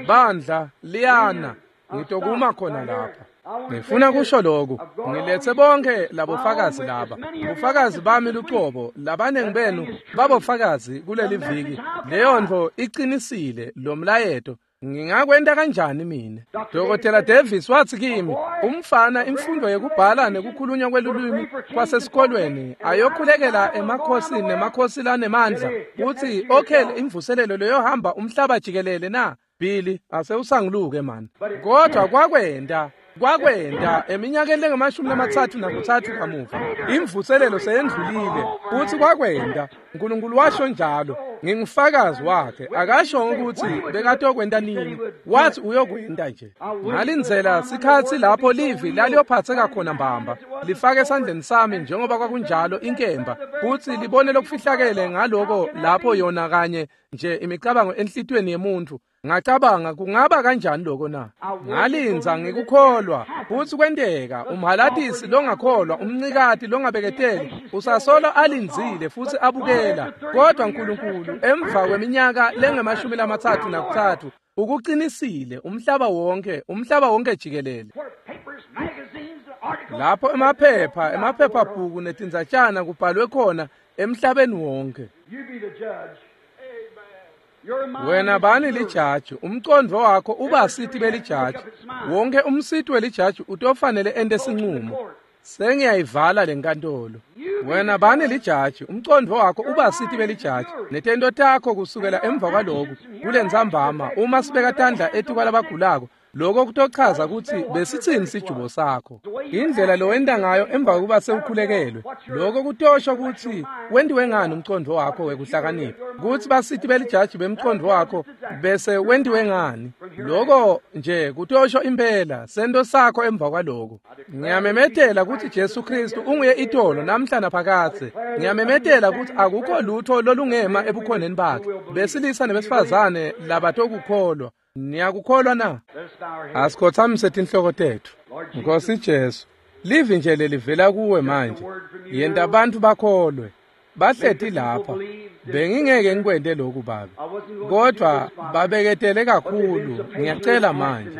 Bandla liyana, ngitokuma khona lapha. Ngifuna kusho lokhu, ngilethe bonke labofakazi laba. Bufakazi bami luqobo, labanengi benu babofakazi kuleli viki. Leyo nto iqinisile lo mlayeto. Ngingakwenta kanjani mina? Dr. Davis wathi kimi, umfana imfundo yekubhala nekukhulunywa kwelulwimi kwasesikolweni ayokhulekela emakhosini nemakhosi lanemandla uthi okhele imvuselelo leyohamba umhlaba jikelele na? Billy, asewusanguluke man. Kodwa kwakwenta eminyakeni lengamashumi 33 kamuva imvuselelo seyendlulile futhi kwakwenta. uNkulunkulu washo njalo, ngingufakazi wakhe. Akasho ukuthi bekatokwenta nini, wathi uyokwenta nje. Ngalindzela sikhatsi lapho livi laliyophatheka khona mbamba, lifake esandleni sami njengoba kwakunjalo inkemba, futhi libone lokufihlakele ngaloko lapho yona kanye nje imicabango enhlitiyweni yemuntu. Ngacabanga kungaba kanjani lokho na? Ngalinza ngikukholwa futhi kwenteka. Umhalatisi longakholwa, umncikati longabeketeli usasolo alindzile futhi abukela. Kodwa uNkulunkulu emva kweminyaka lengamashumi 33 ukuqinisile umhlaba wonke jikelele. Lapho emaphepha, emaphephabhuku netindzatshana kubhalwe khona emhlabeni wonke. Wena bani lijaji, umcondvo wakho uba sithi belijaji. Wonke umsiti welijaji utofanele ente sinqumo. Sengiyayivala lenkantolo. Wena bani lijaji, umcondvo wakho uba sithi belijaji. Netento takho kusukela emva kwaloku kulentsambama uma sibeka tandla etikwalabagulako, lokho kutochaza ukuthi besithini sijubo sakho. Indlela lowenta ngayo emva kokuba sewukhulekelwe, lokho kutosho ukuthi wentiwe ngani umcondvo wakho wekuhlakanipha, ukuthi basithi belijaji bemcondvo wakho bese wentiwe ngani. Lokho nje kutosho impela sento sakho emva kwaloko. Ngiyamemetela ukuthi Jesu Kristu unguye itolo namhla naphakathe. Ngiyamemetela ukuthi akukho lutho lolungema ebukhoneni bakhe. Besilisa nebesifazane labatokukholwa. Niyakukholwa na? Asikhothamise tinhloko tethu. Nkosi Jesu, livi nje lelivela kuwe manje. Yenta abantu bakholwe. Bahleti lapha. Bengingeke ngikwente lokhu Baba. Kodwa babeketele kakhulu. Ngiyacela manje.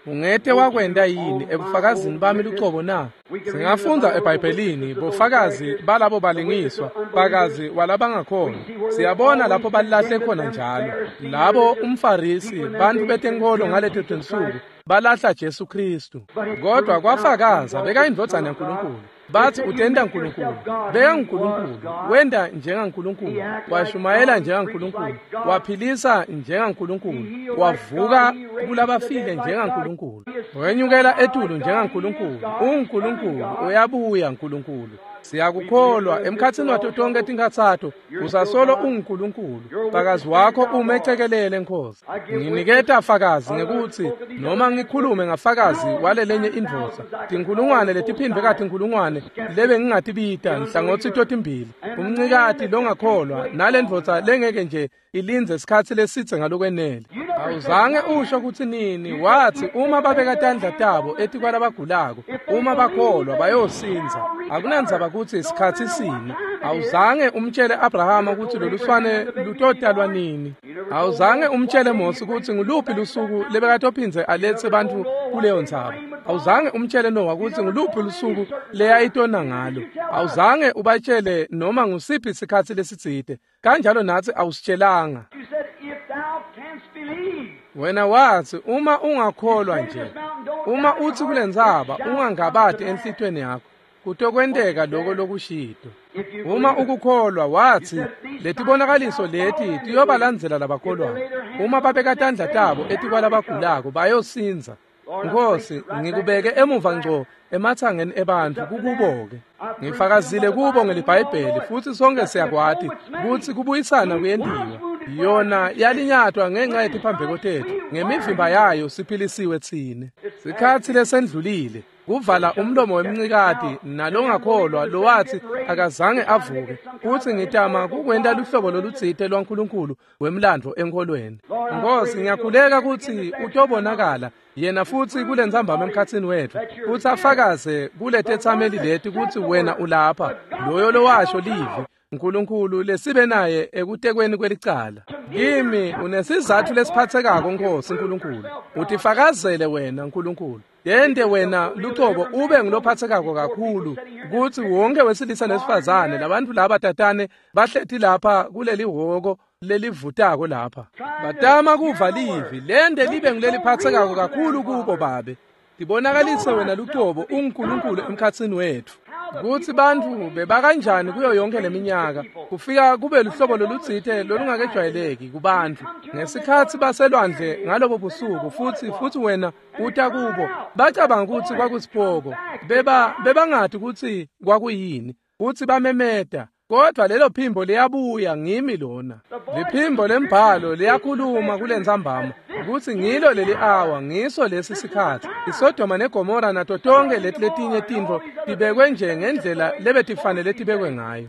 Ungete wakwenta yini ebufakazini bami luqobo na? Singafunda eBhayibhelini bofakazi balabo balingiswa, fakazi walabangakhona. Siyabona lapho balahle khona njalo. Labo umFarisi, bantu betenkolo ngaleto tinsuku, balahla Jesu Kristu. Kodwa kwafakaza bekayindvodzana yaNkulunkulu. Bathi utenta uNkulunkulu, beka nguNkulunkulu, wenda njengaNkulunkulu, washumayela njengaNkulunkulu, waphilisa njengaNkulunkulu, wavuka kulabafile njengaNkulunkulu, wenyukela etulu njengaNkulunkulu. UNkulunkulu uyabuya Nkulunkulu. Siyakukholwa emkhatsini wato tonke tinkhatsato usasolo unguNkulunkulu. Fakazi wakho umecekelele Nkosi. Nginiketa fakazi ngekuthi noma ngikhulume ngafakazi walelenye indvodza, tinkulungwane letiphindwe katinkulungwane lebe ngingatibita nhlangothi totimbili, umncikati longakholwa nalendvodza lengeke nje ilindze isikhatsi lesitse ngalokwenele. Awuzange usho kutsi nini. Wathi uma babeka tandla tabo etikwalabagulako, uma bakholwa bayosindza. Akunandzaba kutsi isikhatsi sini. Awuzange umtshele Abrahama kutsi loluswane lutotalwa nini. Awuzange umtshele Mose kutsi nguluphi lusuku lebekatophindze aletse bantfu kuleyo ntsaba. Awuzange umtshele Noah kutsi nguluphi lusuku leyayitona ngalo. Awuzange ubatshele noma ngusiphi isikhatsi lesitsite. Kanjalo natsi awusitshelanga. Wena wathi uma ungakholwa nje, uma utsi kulentsaba ungangabati enhlitiyweni yakho, kutokwenteka loko lokushito. Uma ukukholwa, wathi letibonakaliso leti tiyobalandzela labakholwayo. Uma babeka tandla tabo etikwalabagulako bayosindza. Nkosi, ngikubeke emuva ngco emathangeni ebantfu kukubo-ke. Ngifakazile kubo ngeliBhayibheli futsi sonke siyakwati kutsi kubuyisana kuyentiwa. Yona yalinyatwa ngenxa yetiphambeko tetfu, ngemivimba yayo siphilisiwe tsine. Sikhatsi lesendlulile kuvala umlomo wemncikati nalongakholwa lowathi akazange avuke, kutsi ngitama kukwenta luhlobo lolutsite lwaNkulunkulu wemlandvo enkholweni. Nkosi, ngiyakhuleka kutsi utobonakala yena futsi kulentsambama emkhatsini wetfu, futsi afakaze kuletetsameli leti kutsi wena ulapha, loyo lowasho livi Nkulunkulu lesibe naye ekutekweni kwelicala. Kimi unesizatfu lesiphatsekako, Nkosi Nkulunkulu. Utifakazele wena Nkulunkulu. Yente wena lucobo ube ngulophatsekako kakhulu kutsi wonke wesilisa nesifazane labantfu laba tatane bahleti lapha kuleli hhoko lelivutako lapha. Batama kuva livi, lente libe nguleliphatsekako kakhulu kubo Babe. Tibonakalise wena lucobo unguNkulunkulu emkhatsini wetfu. Kutsi bantfu bebakanjani kuyo yonke leminyaka kufika kube luhlobo lolutsite lolungakejwayeleki kubantfu ngesikhatsi baselwandle ngalobo busuku, futsi wena uta kubo bacabanga kutsi kwakusipoko, bebangati kutsi kwakuyini, kutsi bamemeta, kodvwa lelo phimbo liyabuya. Ngimi lona. Liphimbo lembhalo liyakhuluma kulentsambama kutsi ngilo leli awa, ngiso lesi sikhatsi. ISodoma neGomora nato tonke leti letinye tintfo tibekwe nje ngendlela lebetifanele tibekwe ngayo.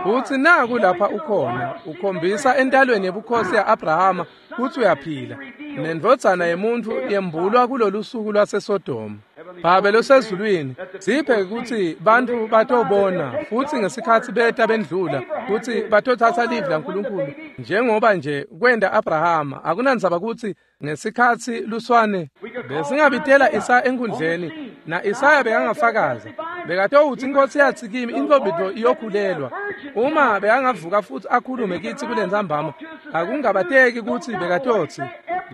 Futsi naku lapha ukhona, ukhombisa entalweni yebukhosi ya-Abrahama kutsi uyaphila, nendvodzana yemuntfu yembulwa kulolu suku lwaseSodoma. Babe losezulwini, siphe kutsi bantfu batobona futsi ngesikhatsi beta bendlula kutsi batotsatsa livi laNkulunkulu njengoba nje kwenta Abrahama. Akunandzaba kutsi ngesikhatsi luswane besingabitela Isaya enkundleni, na Isaya bekangafakaza, bekatowutsi iNkosi yatsi kimi intfombi iyokhulelwa. Uma bekangavuka futsi akhulume kitsi kulentsambama, akungabateki kutsi bekatotsi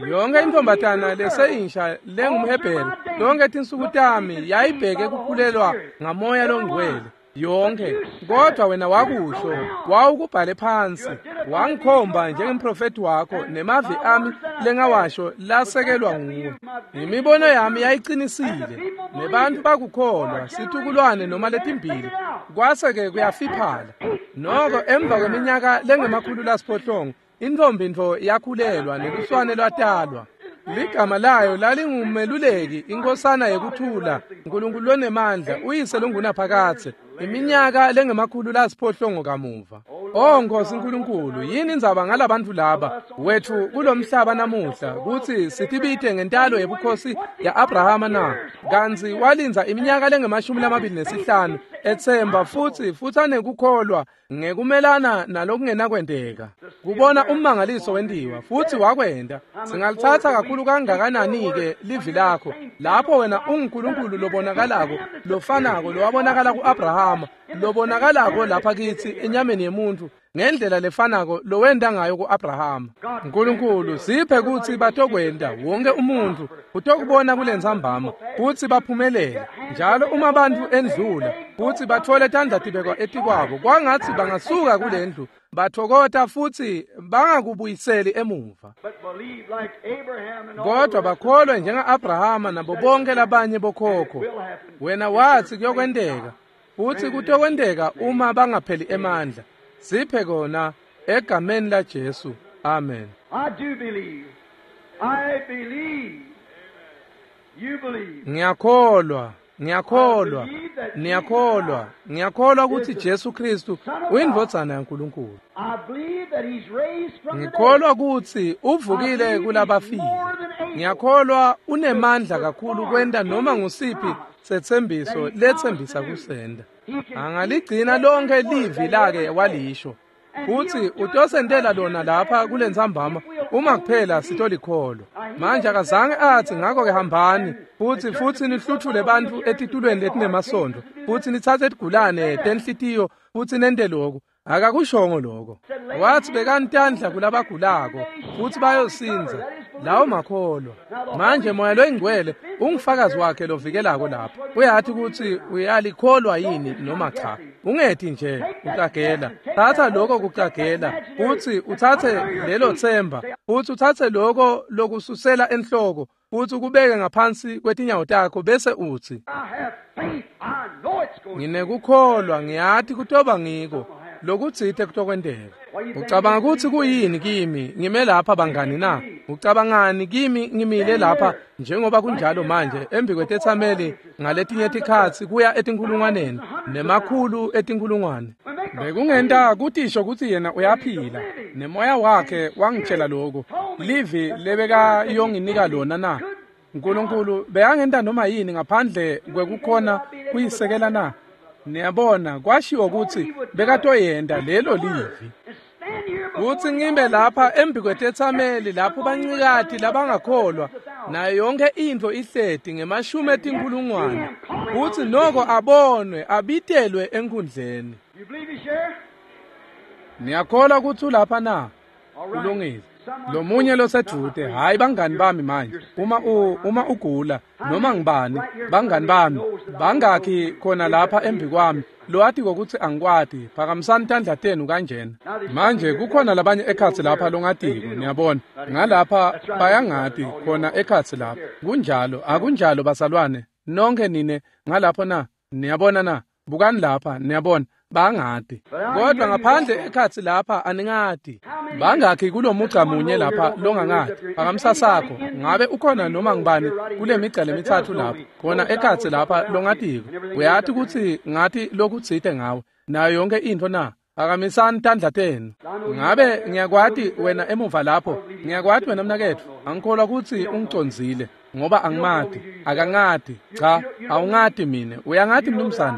yonke intfombatana leseyintsha lengumHebheru tonke tinsuku tami yayibheke kukhulelwa ngamoya longcwele yonke. Kodwa wena wakusho, wawukubhale phansi, wangikhomba njengemprofethi wakho, nemavi ami lengawasho lasekelwa nguwe. Imibono yami yayicinisile, nebantfu bakukholwa, situkulwane noma letimbili, kwase-ke kuyafiphala. Noko emva kweminyaka lengema-700 intfombi ntfo yakhulelwa neluswane lwatalwa. Ligama layo lalingumeluleki, inkosana yekuthula, Nkulunkulu lonemandla, uyise longunaphakadze. Iminyaka lengema-700 kamuva. Oh Nkosi Nkulunkulu, yini indzaba ngalabantfu laba wetfu kulomhlaba namuhla kutsi sitibite ngentalo yebukhosi ya-Abrahama na? Kantsi walindza iminyaka lengama-25 etsemba futsi anekukholwa ngekumelana nalokungenakwenteka, kubona ummangaliso wentiwa, futsi wakwenta. Singalitsatsa kakhulu kangakanani-ke livi lakho lapho wena unguNkulunkulu lobonakalako, lofanako lowabonakala ku-Abrahama, lobonakalako lapha kitsi enyameni yemuntfu ngendlela lefanako lowenta ngayo ku-Abrahama. Nkulunkulu, siphe kutsi batokwenta wonke umuntfu utokubona kulentsambama kutsi baphumelele. Njalo uma bantfu endlula kutsi batfole tandla tibekwa etikwabo, kwangatsi bangasuka kulendlu bathokota futsi bangakubuyiseli emuva, kodwa bakholwe njenga-Abrahama nabo bonke labanye bokhokho. Wena watsi kuyokwenteka, futsi kutokwenteka uma bangapheli emandla. Siphe kona egameni la Jesu. Amen. I do believe. I believe. You believe. Ngiyakholwa. Ngiyakholwa, niyakholwa, ngiyakholwa ukuthi Jesu Kristu uyindvodzana yaNkulunkulu. Ngikholwa ukuthi uvukile kulabafile. Ngiyakholwa unemandla kakhulu kwenta noma ngusiphi setsembiso letsembisa kusenda. Angaligcina lonke livi lake walisho. Futhi utosentela lona lapha kulentsambama uma kuphela sitolikholwa. Manje akazange athi ngakho-ke hambani futhi nihluthule bantfu etitulweni letinemasondvo futhi nitsatse tigulane tenhlitiyo futhi nente lokhu. Akakushongo lokho. Wathi bekani tandla kulabagulako futhi bayosindza. Lawo makholwa. Manje Moya loyiNgcwele ungufakazi wakhe lovikelako lapha. Uyathi ukuthi uyalikholwa yini noma cha. Ungethi nje ucagela. Thatha lokho kucagela futhi uthathe lelo themba futhi uthathe lokho lokususela enhloko futhi ukubeke ngaphansi kwetinyawo takho bese uthi nginekukholwa, ngiyathi kutoba ngiko lokutsite kutokwenteka. Ucabanga ukuthi kuyini kimi ngime lapha bangani na? Ucabangani kimi ngimile lapha njengoba kunjalo manje embi kwetetsameli ngaletinye tikhatsi kuya etinkhulungwaneni nemakhulu etinkhulungwane? Bekungenta kutisho ukuthi yena uyaphila nemoya wakhe wangitshela lokho livi lebekayonginika lona na? uNkulunkulu bekangenta noma yini ngaphandle kwekukhona kuyisekela na? Niyabona kwashiwo ukuthi bekatoyenta lelo livi. Kuthi ngime lapha embi kwetetsameli lapho bancikati labangakholwa nayo yonke intfo ihleti ngemashumi etinkhulungwane kuthi noko abonwe abitelwe enkhundleni. Niyakholwa ukuthi ulapha na? Kulungile. Lomunye losedvute, hayi bangani bami manje, uma ugula noma ngibani, bangani bami bangakhi khona lapha embi kwami lowathi kokuthi angikwati, phakamisani tandla tenu kanjena. Manje kukhona labanye ekhatsi lapha longatiko, niyabona ngalapha bayangati khona ekhatsi lapha. Kunjalo, akunjalo basalwane nonke nine ngalapho na? Niyabona na? Bukani lapha, niyabona bangati, kodwa ngaphandle ekhatsi lapha aningati. Bangakhi kulomugca munye lapha longangati? Phakamisa sakho. Ngabe ukhona noma ngibani kule migca lemitsatfu lapha khona ekhatsi lapha longatiko? Uyati ukuthi ngathi lokutsite ngawe nayo yonke intfo na? Phakamisani tandla tenu. Ngabe ngiyakwati wena emuva lapho? Ngiyakwati wena mnaketfu. Angikholwa ukuthi ungicondzile ngoba angimati, akangati. Cha, awungati mine. Uyangati mnumzane?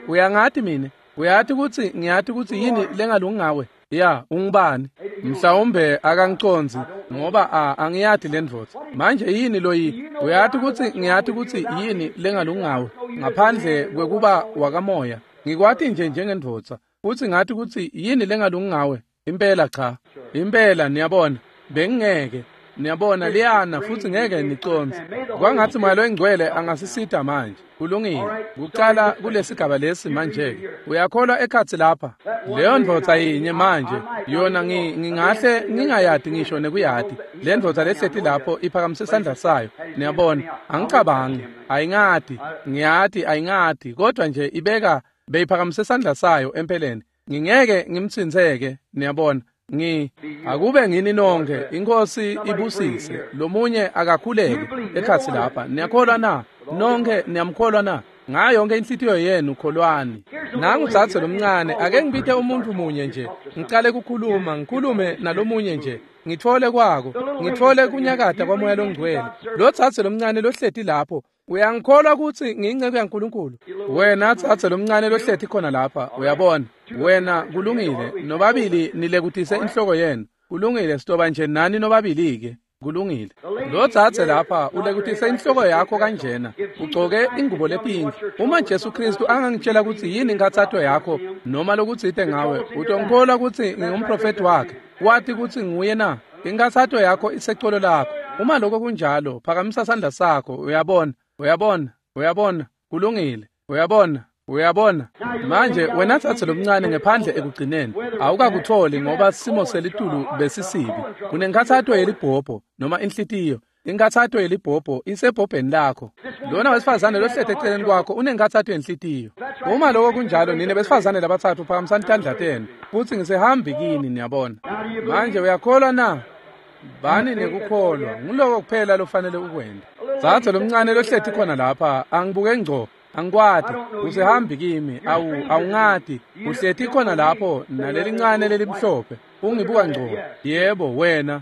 Uyangati mine? Uyati ukuthi ngiyati ukuthi yini lengalungi ngawe? Ya, ungubani? Mhlawumbe akangicondzi ngoba angiyati le ndvodza. Manje yini loyi? Uyati ukuthi ngiyati ukuthi yini lengalungi ngawe ngaphandle kwekuba wakamoya. Ngikwati nje njengendvodza futhi ngathi ukuthi yini lengalungi ngawe. Impela cha. Impela niyabona bengingeke. Niyabona liyana futhi ngeke nicondze. Kwangathi Moya loyiNgcwele angasisita manje. Kulungile. Kucala kulesigaba lesi manje-ke. Uyakholwa ekhatsi lapha? Leyo ndvodza yinye manje yona ngingahle ngingayati ngisho nekuyati. Le ndvodza lehleti lapho iphakamise isandla sayo. Niyabona, angicabangi, ayingati, ngiyati ayingati, kodwa nje ibeka beyiphakamise isandla sayo empeleni. Ngingeke ngimtsintseke, niyabona. Akube ngini nonke, iNkosi ibusise. Lomunye akakhuleke ekhatsi lapha. Niyakholwa na? Nonke niyamkholwa na? Ngayo yonke inhlitiyo yenu kholwani. Nangu dzadze lomncane, ake ngibite umuntu munye nje. Ngicale kukhuluma, ngikhulume nalomunye nje. Ngitfole kwako, ngitfole kunyakata kwaMoya loNgcwele. Lo dzadze lomncane lohleti lapho, uyangikholwa ukuthi ngiyinceku yaNkulunkulu? Wena dzadze lomncane lohleti khona lapha, uyabona. Wena kulungile, nobabili nilekutise inhloko yenu. Kulungile, sitoba nje nani nobabili-ke. Kulungile. Lo dzadze lapha ulekutise inhloko yakho kanjena, ugcoke ingubo lepinki. Uma Jesu Kristu angangitshela ukuthi yini inkathato yakho noma lokutsite ngawe, utongikholwa ukuthi ngingumprofeti wakhe? Wati ukuthi nguye na? Inkathato yakho isecolo lakho. Uma lokho kunjalo, phakamisa sandla sakho. Uyabona, uyabona, uyabona. Kulungile. Uyabona, uyabona. Manje wena dzadze lomncane ngephandle ekugcineni awukakutholi ngoba simo selitulu besisibi. Unenkathato yelibhobho noma inhlitiyo. Inkathato yelibhobho isebhobheni lakho. Lona wesifazane lohleti eceleni kwakho unenkathato yenhlitiyo. Uma lokho kunjalo, nine besifazane labatsatfu phakamisani tandla tenu futhi ngisehambi kini, niyabona. Manje uyakholwa na? Bani nekukholwa, nguloko kuphela lofanele ukwente. Dzadze lomncane lohleti khona lapha, angibuke ngco, angikwati, usehambi kimi, awungati, uhleti khona lapho nalelincane lelimhlophe, ungibuka ngco. Yebo, wena,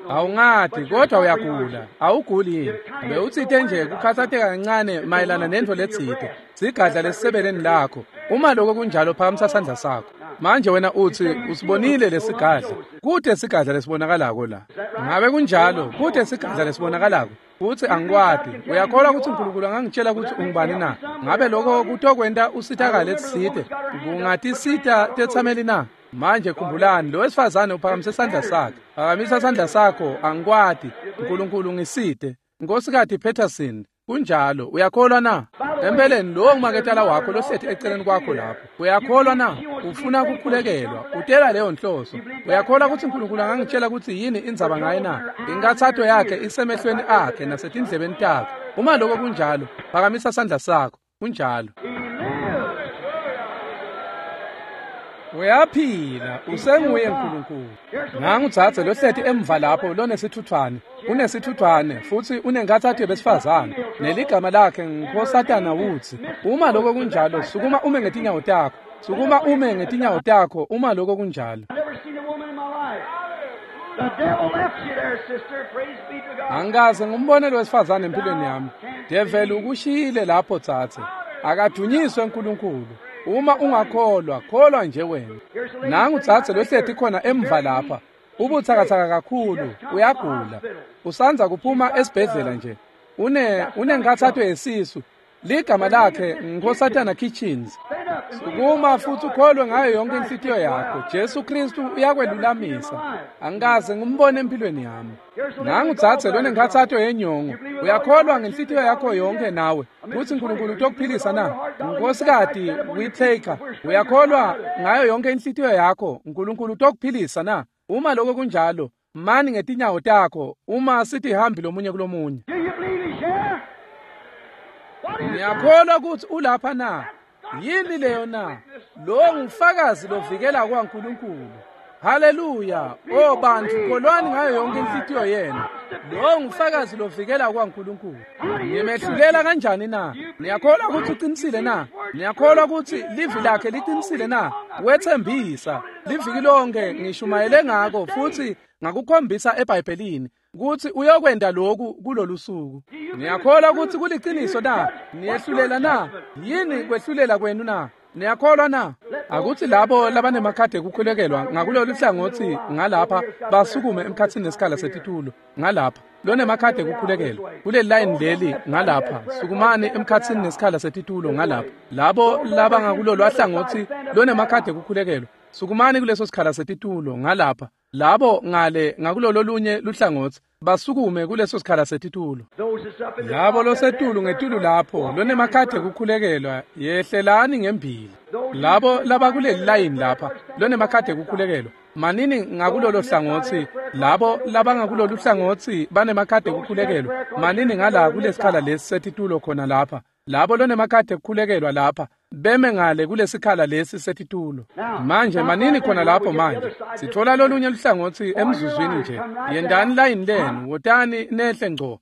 Awungati, kodwa uyagula, awuguli yini? Bewutsite nje kukhatsateka kancane mayelana nentfo letsite, sigadla lesisebeleni lakho. Uma lokho kunjalo, phakamisa sandla sakho. Manje wena utsi usibonile lesigadla. Kute sigadla lesibonakalako la. Ngabe kunjalo, kute sigadla lesibonakalako. Futsi angikwati. Uyakholwa kutsi uNkulunkulu angangitshela kutsi ungubani na? Ngabe lokho kutokwenta usitakale tsite? Kungatisita tetsameli na? Manje khumbulani, lo wesifazane uphakamise sandla sakhe. Phakamisa sandla sakho, angikwati. uNkulunkulu ngisite. Nkosikati Peterson, kunjalo, uyakholwa na? Empeleni lowo ngumaketala wakho lohleti eceleni kwakho lapho. Uyakholwa na? Ufuna kukhulekelwa, utela leyo nhloso. Uyakholwa kutsi uNkulunkulu angangitshela kutsi yini indzaba ngaye na? Inkathato yakhe isemehlweni akhe nasetindlebeni takhe. Uma lokho kunjalo, phakamisa sandla sakho. Kunjalo. Uyaphila, usenguye uNkulunkulu. Nangu dzadze lohleti emva lapho lonesithuthwane, unesithuthwane futsi unenkathato yebesifazane, neligama lakhe nguNkosatana Woods. Uma lokho kunjalo, sukuma ume ngetinyawo takho. Sukuma ume ngetinyawo takho uma lokho kunjalo. Angikaze ngumbone wesifazane empilweni yami. Develi ukushiyile lapho dzadze. Akadunyiswe uNkulunkulu. Uma ungakholwa, kholwa nje wena. Nangu dzadze lohleti khona emva lapha. Ubutsakatsaka kakhulu, uyagula. Usandza kuphuma esibhedlela nje. Unenkathato yesisu. Ligama lakhe Nkosatana Kitchens. Sukuma futhi ukholwe ngayo yonke inhlitiyo yakho. Jesu Kristu uyakwelulamisa. Angikaze ngumbone empilweni yami. Nangu dzadze lonenkathato yenyongo. Uyakholwa ngenhlitiyo yakho yonke nawe kutsi uNkulunkulu utokuphilisa na? Nkosikati Whitaker, uyakholwa ngayo yonke inhlitiyo yakho uNkulunkulu utokuphilisa na? Uma lokho kunjalo, mani ngetinyawo takho uma sitihambi lomunye kulomunye. Ngiyakholwa kutsi ulapha na? Yini leyo na? Lo ngufakazi lovikela kwaNkulunkulu. Haleluya! O bantu, kholwani ngayo yonke inhlitiyo yenu. Lo ngufakazi lovikela kwaNkulunkulu. Nimehlulela kanjani na? Niyakholwa kutsi uqinisile na? Niyakholwa kutsi livi lakhe liqinisile na? Wethembisa liviki lonke ngishumayele ngako futhi ngakukhombisa eBhayibhelini kutsi uyokwenta lokhu kulolu suku. Niyakholwa kutsi kuliciniso na? Niyehlulela na? Yini kwehlulela kwenu na? Niyakholwa na? Akuthi labo labanemakhadi ekukhulekelwa ngakulolu hlangothi ngalapha basukume emkhathini nesikhala setitulo ngalapha. Lonemakhadi ekukhulekelwa kuleli line leli ngalapha, sukumani emkhathini nesikhala setitulo ngalapha. Labo labangakulolu hlangothi lonemakhadi ekukhulekelwa, sukumani kuleso sikhala setitulo ngalapha. Labo ngale ngakulolo lunye luhlangothi basukume kuleso sikhala setitulo. Labo losetulu ngetulu lapho lonemakhadi ekukhulekelwa, yehlelani ngembili. Labo labakuleli layini lapha lonemakhadi ekukhulekelwa, manini ngakulolo hlangothi. Labo labangakulolu hlangothi banemakhadi ekukhulekelwa, manini ngala kulesikhala lesi setitulo khona lapha. Labo lonemakhadi ekukhulekelwa lapha beme ngale kulesikhala lesi setitulo. Manje manini khona lapho manje. Sithola lolunye luhlangothi emzuzwini nje. Yendani layini lenu, wotani nehle ngco.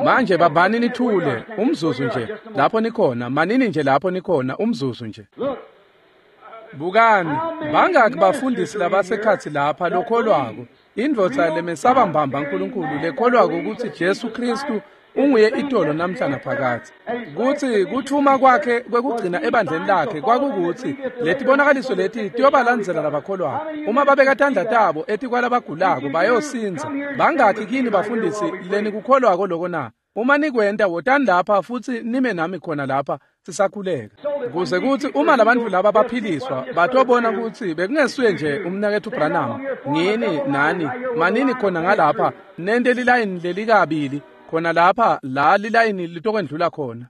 Manje babani nithule umzuzu nje lapho nikhona, manini nje lapho nikhona umzuzu nje. Bukani, bangaki bafundisi labasekhatsi lapha lokholwako, indvodza lemesaba mbamba uNkulunkulu lekholwako ukuthi Jesu Kristu unguye itolo namhla naphakadze, kutsi kuthuma kwakhe kwekugcina ebandleni lakhe kwakukuthi letibonakaliso leti tiyobalandzela labakholwako. Uma babeka tandla tabo etikwalabagulako bayosinza. Bangakhi kini bafundisi lenikukholwako loko na? Uma nikwenta, wotani lapha futsi nime nami khona lapha sisakhuleka, kuze kutsi uma labantfu laba baphiliswa batobona kutsi bekungesuye nje umnaketfu Branham. Ngini nani manini khona ngalapha, nente lilayini lelikabili khona lapha la lilayini litokwendlula khona.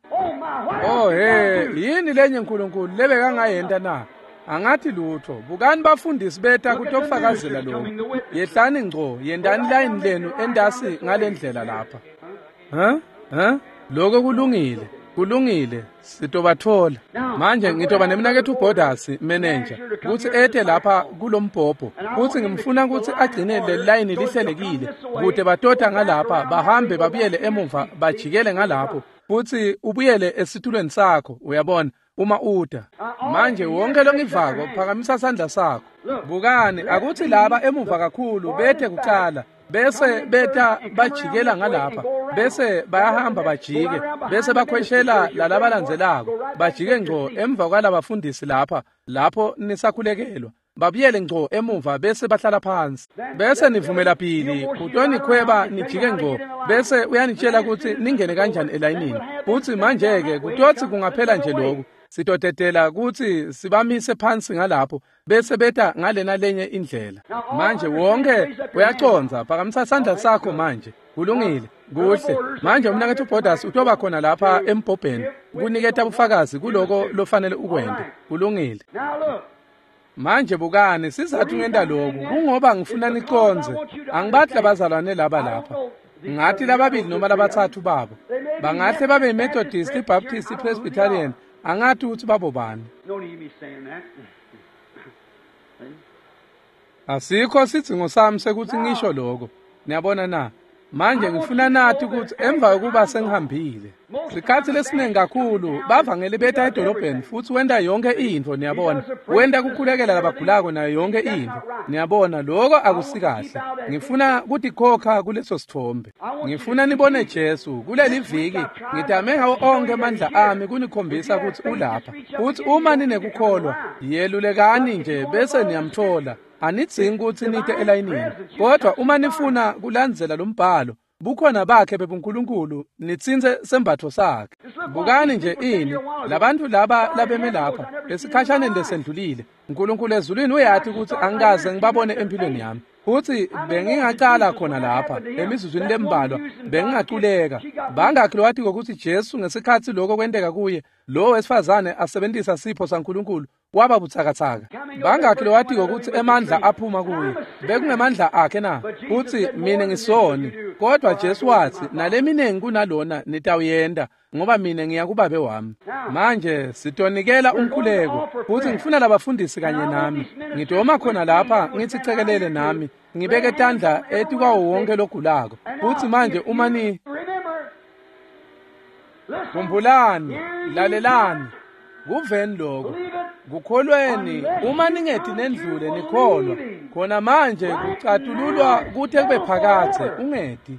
Oh he, yini lenye uNkulunkulu lebekangayenta na? Angathi lutho. Bukani bafundisi beta kutofakazela lokho. Yehlani ngco, yendani layini lenu endasi ngalendlela lapha. Lokho kulungile. Kulungile, sitobatfola. Manje ngitoba nemnaketfu Borders manager kutsi ete lapha kulombhobho, futsi ngimfuna kutsi agcine le layini lihlelekile kute batota ngalapha bahambe babuyele emuva bajikele ngalapho, futsi ubuyele esitulweni sakho, uyabona, uma uta. Manje wonke longivako phakamisa sandla sakho. Bukani, akutsi laba emuva kakhulu bete kucala, bese beta bajikela ngalapha, bese bayahamba bajike, bese bakhweshela lalabalandzelako, bajike ngco emva kwalabafundisi lapha, lapho nisakhulekelwa, babuyele ngco emuva bese bahlala phansi. Bese nivumela Billy kutonikhweba nijike ngco, bese uyanitshela kutsi ningene kanjani elayinini. Futsi manje-ke kutotsi kungaphela nje lokhu, sitotetela kutsi sibamise phansi ngalapho, bese beta ngalena lenye indlela. Manje wonke uyacondza, phakamisa sandla sakho manje. Kulungile, kuhle. Manje umnaketfu Borders utoba khona lapha embhobheni kuniketa bufakazi kuloko lofanele ukwente. Kulungile. Manje bukani, sizathu ngenta lokhu kungoba ngifuna nicondze. Angibathi labazalwane laba lapha, ngathi lababili noma labatsatfu babo bangahle babe yiMethodist, iBaptist, iPresbyterian, angathi ukuthi babo bani. Asikho sidzingo sami sekuthi ngisho lokho. Niyabona na? Manje ngifuna nathi ukuthi emva kokuba sengihambile, sikhathi lesiningi kakhulu bavangeli beta edolobheni futhi wenta yonke intfo, niyabona, wenta kukhulekela labagulako nayo yonke intfo, niyabona, lokho akusikahle. Ngifuna kutikhokha kuleso sithombe. Ngifuna nibone Jesu kuleli viki. Ngitame ngawo onke amandla ami kunikhombisa ukuthi ulapha. Futhi uma ninekukholwa, yelulekani nje bese niyamthola. Anidzingi kutsi nite elayinini, kodwa uma nifuna kulandzela lombhalo, bukhona bakhe bebuNkulunkulu, nitsintse sembatfo sakhe. Bukani nje ini, labantu laba labeme lapha esikhashaneni lesendlulile, uNkulunkulu ezulwini uyati kutsi angikaze ngibabone empilweni yami. Futsi bengingacala khona lapha emizuzwini lembalwa, bengingaculeka. Bangakhi lowatiko kutsi Jesu ngesikhatsi lokho kwenteka kuye, lo wesifazane asebentisa sipho saNkulunkulu, waba butsakatsaka. Bangakhi lowatiko kutsi emandla aphuma kuye, bekungemandla akhe na? Futsi mina ngisoni, kodwa Jesu watsi naleminengi kunalona nitawuyenta, ngoba mina ngiya kubabe wami. Manje sitonikela umkhuleko, futsi ngifuna labafundisi kanye nami. Ngidoma khona lapha ngithi cekelele nami, ngibeke tandla etikwawo wonke logulako. Futsi manje uma ni khumbulani, lalelani, kuveni lokho, kukholweni. Uma ningeti nendlule nikholwa khona manje, kucatululwa kute kube phakadze. Ungeti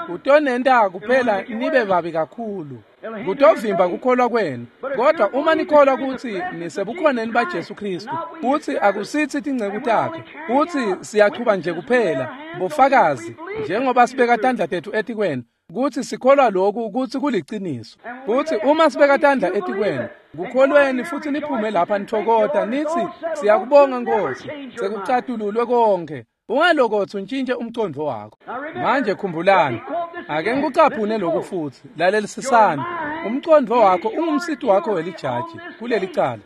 kutonenta kuphela nibe babi kakhulu, kutovimba kukholwa kwenu. Kodwa uma nikholwa kutsi nisebukhoneni baJesu Kristu, kutsi akusithi tinceku takhe, kutsi siyachuba nje kuphela bofakazi, njengoba sibeka tandla tetfu etikwenu, kutsi sikholwa lokhu kutsi kuliciniso. Kutsi uma sibeka tandla etikwenu, kukholweni futhi niphume lapha nithokota nithi siyakubonga Nkosi, sekucatululwe konke. Ungalokotsi untshintshe umcondvo wakho. Manje khumbulani, ake ngikucaphune lokhu futhi, lalelisisani. Umcondvo wakho ungumsiti wakho welijaji kuleli cala.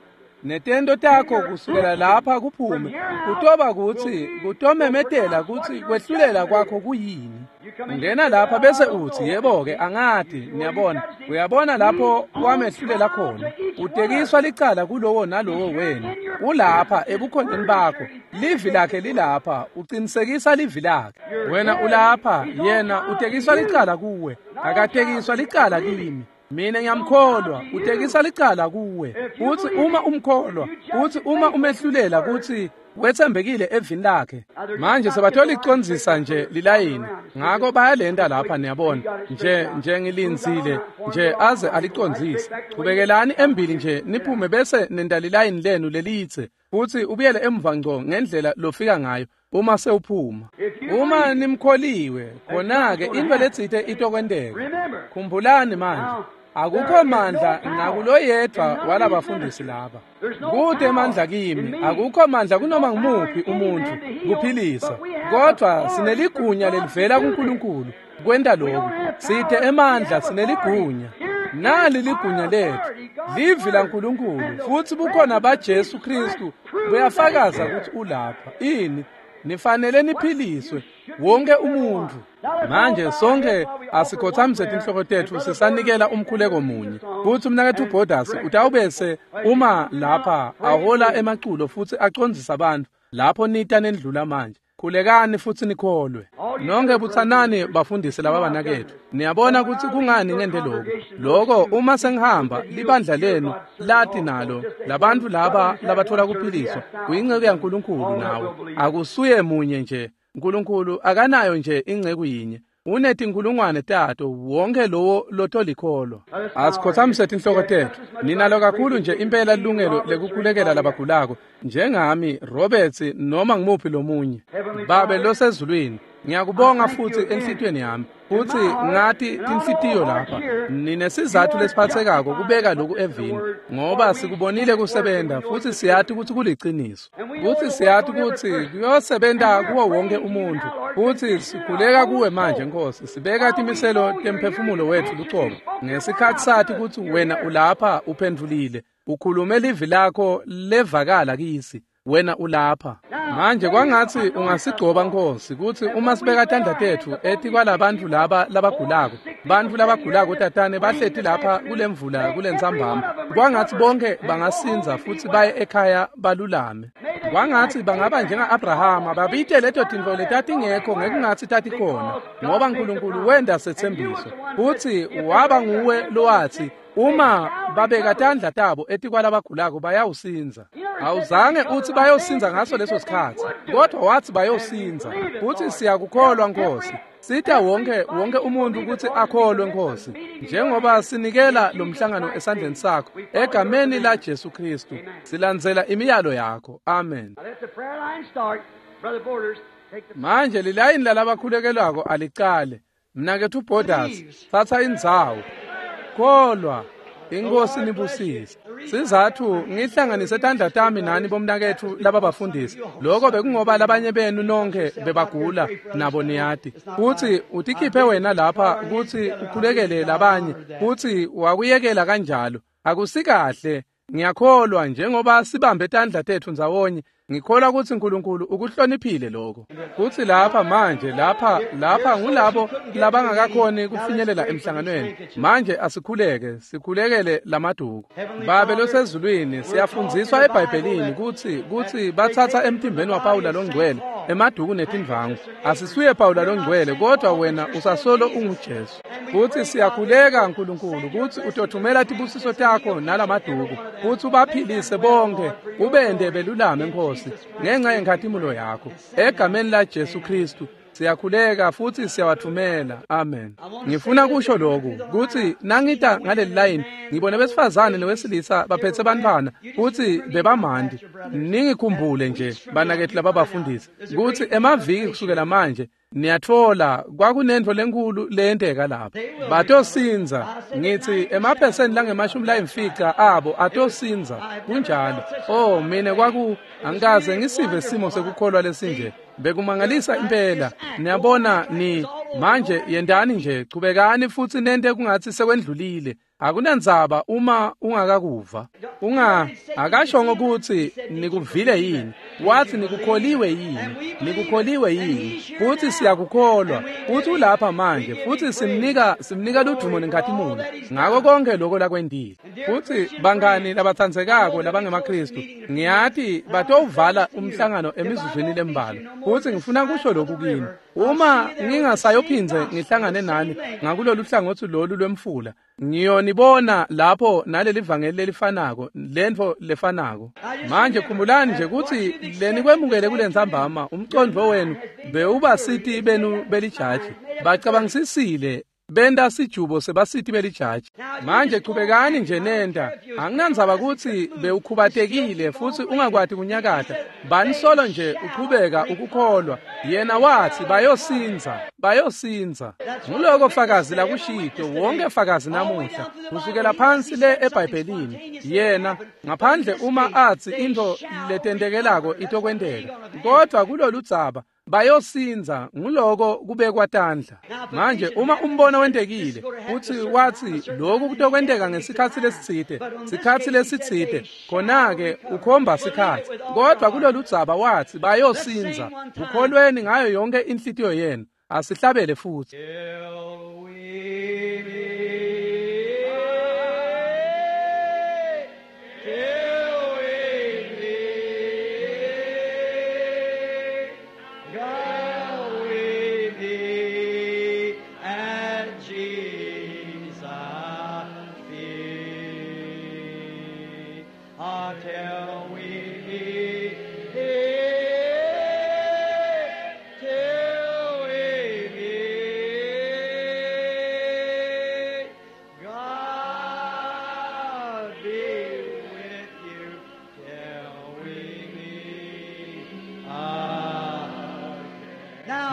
Netento takho kusukela lapha kuphume kutoba kutsi kutomemetela kutsi kwehlulela kwakho kuyini. Ungena lapha bese utsi yebo-ke angati, niyabona, uyabona lapho wamehlulela khona. Utekiswa licala kulowo nalowo wenu. Ulapha ebukhoneni bakho, livi lakhe lilapha, uqinisekisa livi lakhe. Wena ulapha, yena utekiswa licala kuwe, akatekiswa licala kimi. Mina ngiyamkholwa, utekisa licala kuwe. Uthi uma umkholwa, uthi uma umehlulela kutsi wetsembekile evini lakhe. Manje sebathola icondzisa nje lilayini, ngako bayalenta lapha, niyabona, nje ngilindzile nje aze alicondzise. Chubekelani embili nje niphume bese nenta lilayini lenu lelitse, futsi ubuyele emva ngco ngendlela lofika ngayo uma sewuphuma. Uma nimkholiwe, khona-ke intfo letsite itokwenteka. Khumbulani manje, akukho mandla nakuloyedvwa walabafundisi laba. Kute emandla kimi, akukho mandla kunoma ngumuphi umuntfu kuphilisa, kodvwa sineligunya lelivela kuNkulunkulu kwenta lokhu. Sithe emandla, sineligunya. Nali ligunya letfu, livi laNkulunkulu, futsi bukhona baJesu Kristu buyafakaza kutsi ulapha. Ini? Nifanele niphiliswe. Wonke umuntfu. Manje sonke asikhothamise tinhloko tetfu sisanikela umkhuleko munye. Futsi umnaketfu Borders utawubese uma lapha ahola emaculo futsi acondzisa bantfu lapho nita nendlula manje. Khulekani futsi nikholwe. Nonke butsanani bafundisi laba banaketfu. Niyabona kutsi kungani ngente lokhu. Lokho uma sengihamba libandla lenu lati nalo labantu laba labathola kuphiliswa kuyinceku yaNkulunkulu nawe. Akusuye munye nje. Nkulunkulu akanayo nje inceku yinye. Unetinkulungwane tato wonke lowo lotolikholwa. Asikhothamise tinhloko tetfu. Ninalo kakhulu nje impela lilungelo lekukhulekela labagulako njengami Roberts noma ngimuphi lomunye. Babe losezulwini, ngiyakubonga futsi enhlitiyweni yami futsi ngati tinhlitiyo lapha. Ninesizatfu lesiphatsekako kubeka loku evini ngoba sikubonile kusebenta futsi siyati kutsi kuliciniso. Futsi siyati kutsi kuyosebenta kuwo wonke umuntfu. Futsi sikhuleka kuwe manje Nkosi, sibeka timiselo temphefumulo wetfu lucobo ngesikhatsi sati kutsi wena ulapha uphendvulile, ukhulume livi lakho levakala kisi. Wena ulapha manje. Kwangatsi ungasigcoba Nkosi kutsi uma sibeka tandla tetfu etikwalabantfu laba labagulako, bantfu labagulako tatane bahleti lapha kulemvula kulentsambama, kwangatsi bonke bangasindza futsi baye ekhaya balulame. Kwangatsi bangaba njenga-Abrahama babite leto tintfo letatingekho ngekungatsi tatikhona, ngoba Nkulunkulu wenta setsembiso futsi waba nguwe lowatsi uma babeka tandla tabo etikwalabagulako bayawusindza. Awuzange utsi bayosindza ngaso leso sikhatsi, kodwa watsi bayosindza. Futsi siyakukholwa Nkosi. Sita wonke umuntu kutsi akholwe Nkosi, njengoba sinikela lo mhlangano esandleni sakho egameni la Jesu Kristu. Silandzela imiyalo yakho. Amen. Manje lilayini lalabakhulekelwako alicale. Mnaketfu Borders, tsatsa indzawo. Kholwa. Inkosi nibusise. Sizathu ngihlanganise tandla tami nani bomnaketfu laba bafundisi. Lokho bekungoba labanye benu nonke bebagula nabo niyati. Futsi utikhiphe wena lapha kutsi ukhulekele labanye, futsi wakuyekela kanjalo. Akusikahle. Ngiyakholwa njengoba sibambe tandla tetfu ndzawonye, ngikholwa kutsi Nkulunkulu ukuhloniphile lokho. Kutsi lapha manje lapha ngulabo labangakakhoni kufinyelela emhlanganweni. Manje asikhuleke, sikhulekele lamaduku. Babe losezulwini, siyafundziswa eBhayibhelini kutsi batsatsa emtimbeni waPawula longcwele emaduku netindvangu. Asisuye Pawula longcwele, kodwa wena usasolo unguJesu. Futsi siyakhuleka Nkulunkulu kutsi utothumela tibusiso takho nalamaduku, kutsi ubaphilise bonke, ubende belulame Nkosi, ngenxa yenkhatimulo yakho. Egameni la Jesu Kristu siyakhuleka futsi siyawathumela. Amen. Ngifuna kusho lokhu kutsi nangita ngaleli line ngibone besifazane newesilisa baphetse bantfwana futsi bebamandi. Ningikhumbule nje banaketfu lababafundisi kutsi emaviki kusukela manje niyatfola kwakunentfo lenkulu leyenteka lapha. Batosindza. Ngithi emaphesenti lange-50 abo atosindza. Kunjalo. Oh mina kwaku angikaze ngisive simo sekukholwa lesinje. Bekumangalisa impela. Niyabona ni manje yendani nje, chubekani futsi nente kungatsi sekwendlulile. Akunandzaba uma ungakakuva. Akashongo kutsi nikuvile yini. Wathi nikukholiwe yini. Nikukholiwe yini. Futsi siyakukholwa. Futsi ulapha manje. Futsi simnika ludumo nenkhatimulo ngako konke lokho lakwentile. Futsi bangani labatsandzekako labangemaKristu, ngiyati batowuvala umhlangano emizuzwini lembalwa. Futsi ngifuna kusho lokhu kini. Uma ngingasayophindze ngihlangane nani ngakulolu hlangothi lolu lwemfula, ngiyonibona lapho naleli vangeli lelifanako, lentfo lefanako. Manje khumbulani nje kutsi lenikwemukele kulentsambama umcondvo wenu bewubasiti benu belijaji. Bacabangisisile benta sijubo sebasiti belijaji. Manje chubekani nje nenta. Anginandzaba kutsi bewukhubatekile futsi ungakwati kunyakata. Bani solo nje uchubeka ukukholwa. Yena wathi bayosindza, bayosindza. Nguloko fakazi lakushito, wonke fakazi namuhla kusukela phansi le eBhayibhelini. Yena ngaphandle uma athi into letentekelako itokwenteka, kodwa kulolu dzaba Bayosindza, nguloko kubekwa tandla. Manje uma umbono wentekile futsi watsi lokhu kutokwenteka ngesikhatsi lesitsite, sikhatsi lesitsite, khona-ke ukhomba sikhatsi. Kodwa kulolu dzaba watsi bayosindza. Ukholweni ngayo yonke inhlitiyo yenu. Asihlabele futsi.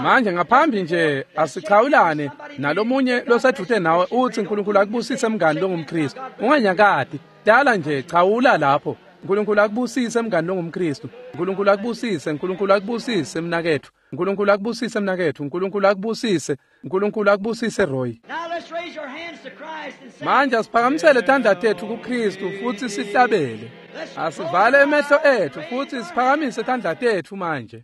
Manje ngaphambi nje asichawulane nalomunye losedvute nawe utsi uNkulunkulu akubusise mngani longumKristu. Unganyakati, dala nje chawula lapho. uNkulunkulu akubusise mngani longumKristu. uNkulunkulu akubusise, uNkulunkulu akubusise mnaketfu. uNkulunkulu akubusise mnaketfu, uNkulunkulu akubusise, uNkulunkulu akubusise Roy. Manje asiphakamisele tandla tetfu kuKristu futsi sihlabele. Asivale emehlo etfu futsi siphakamise tandla tetfu manje.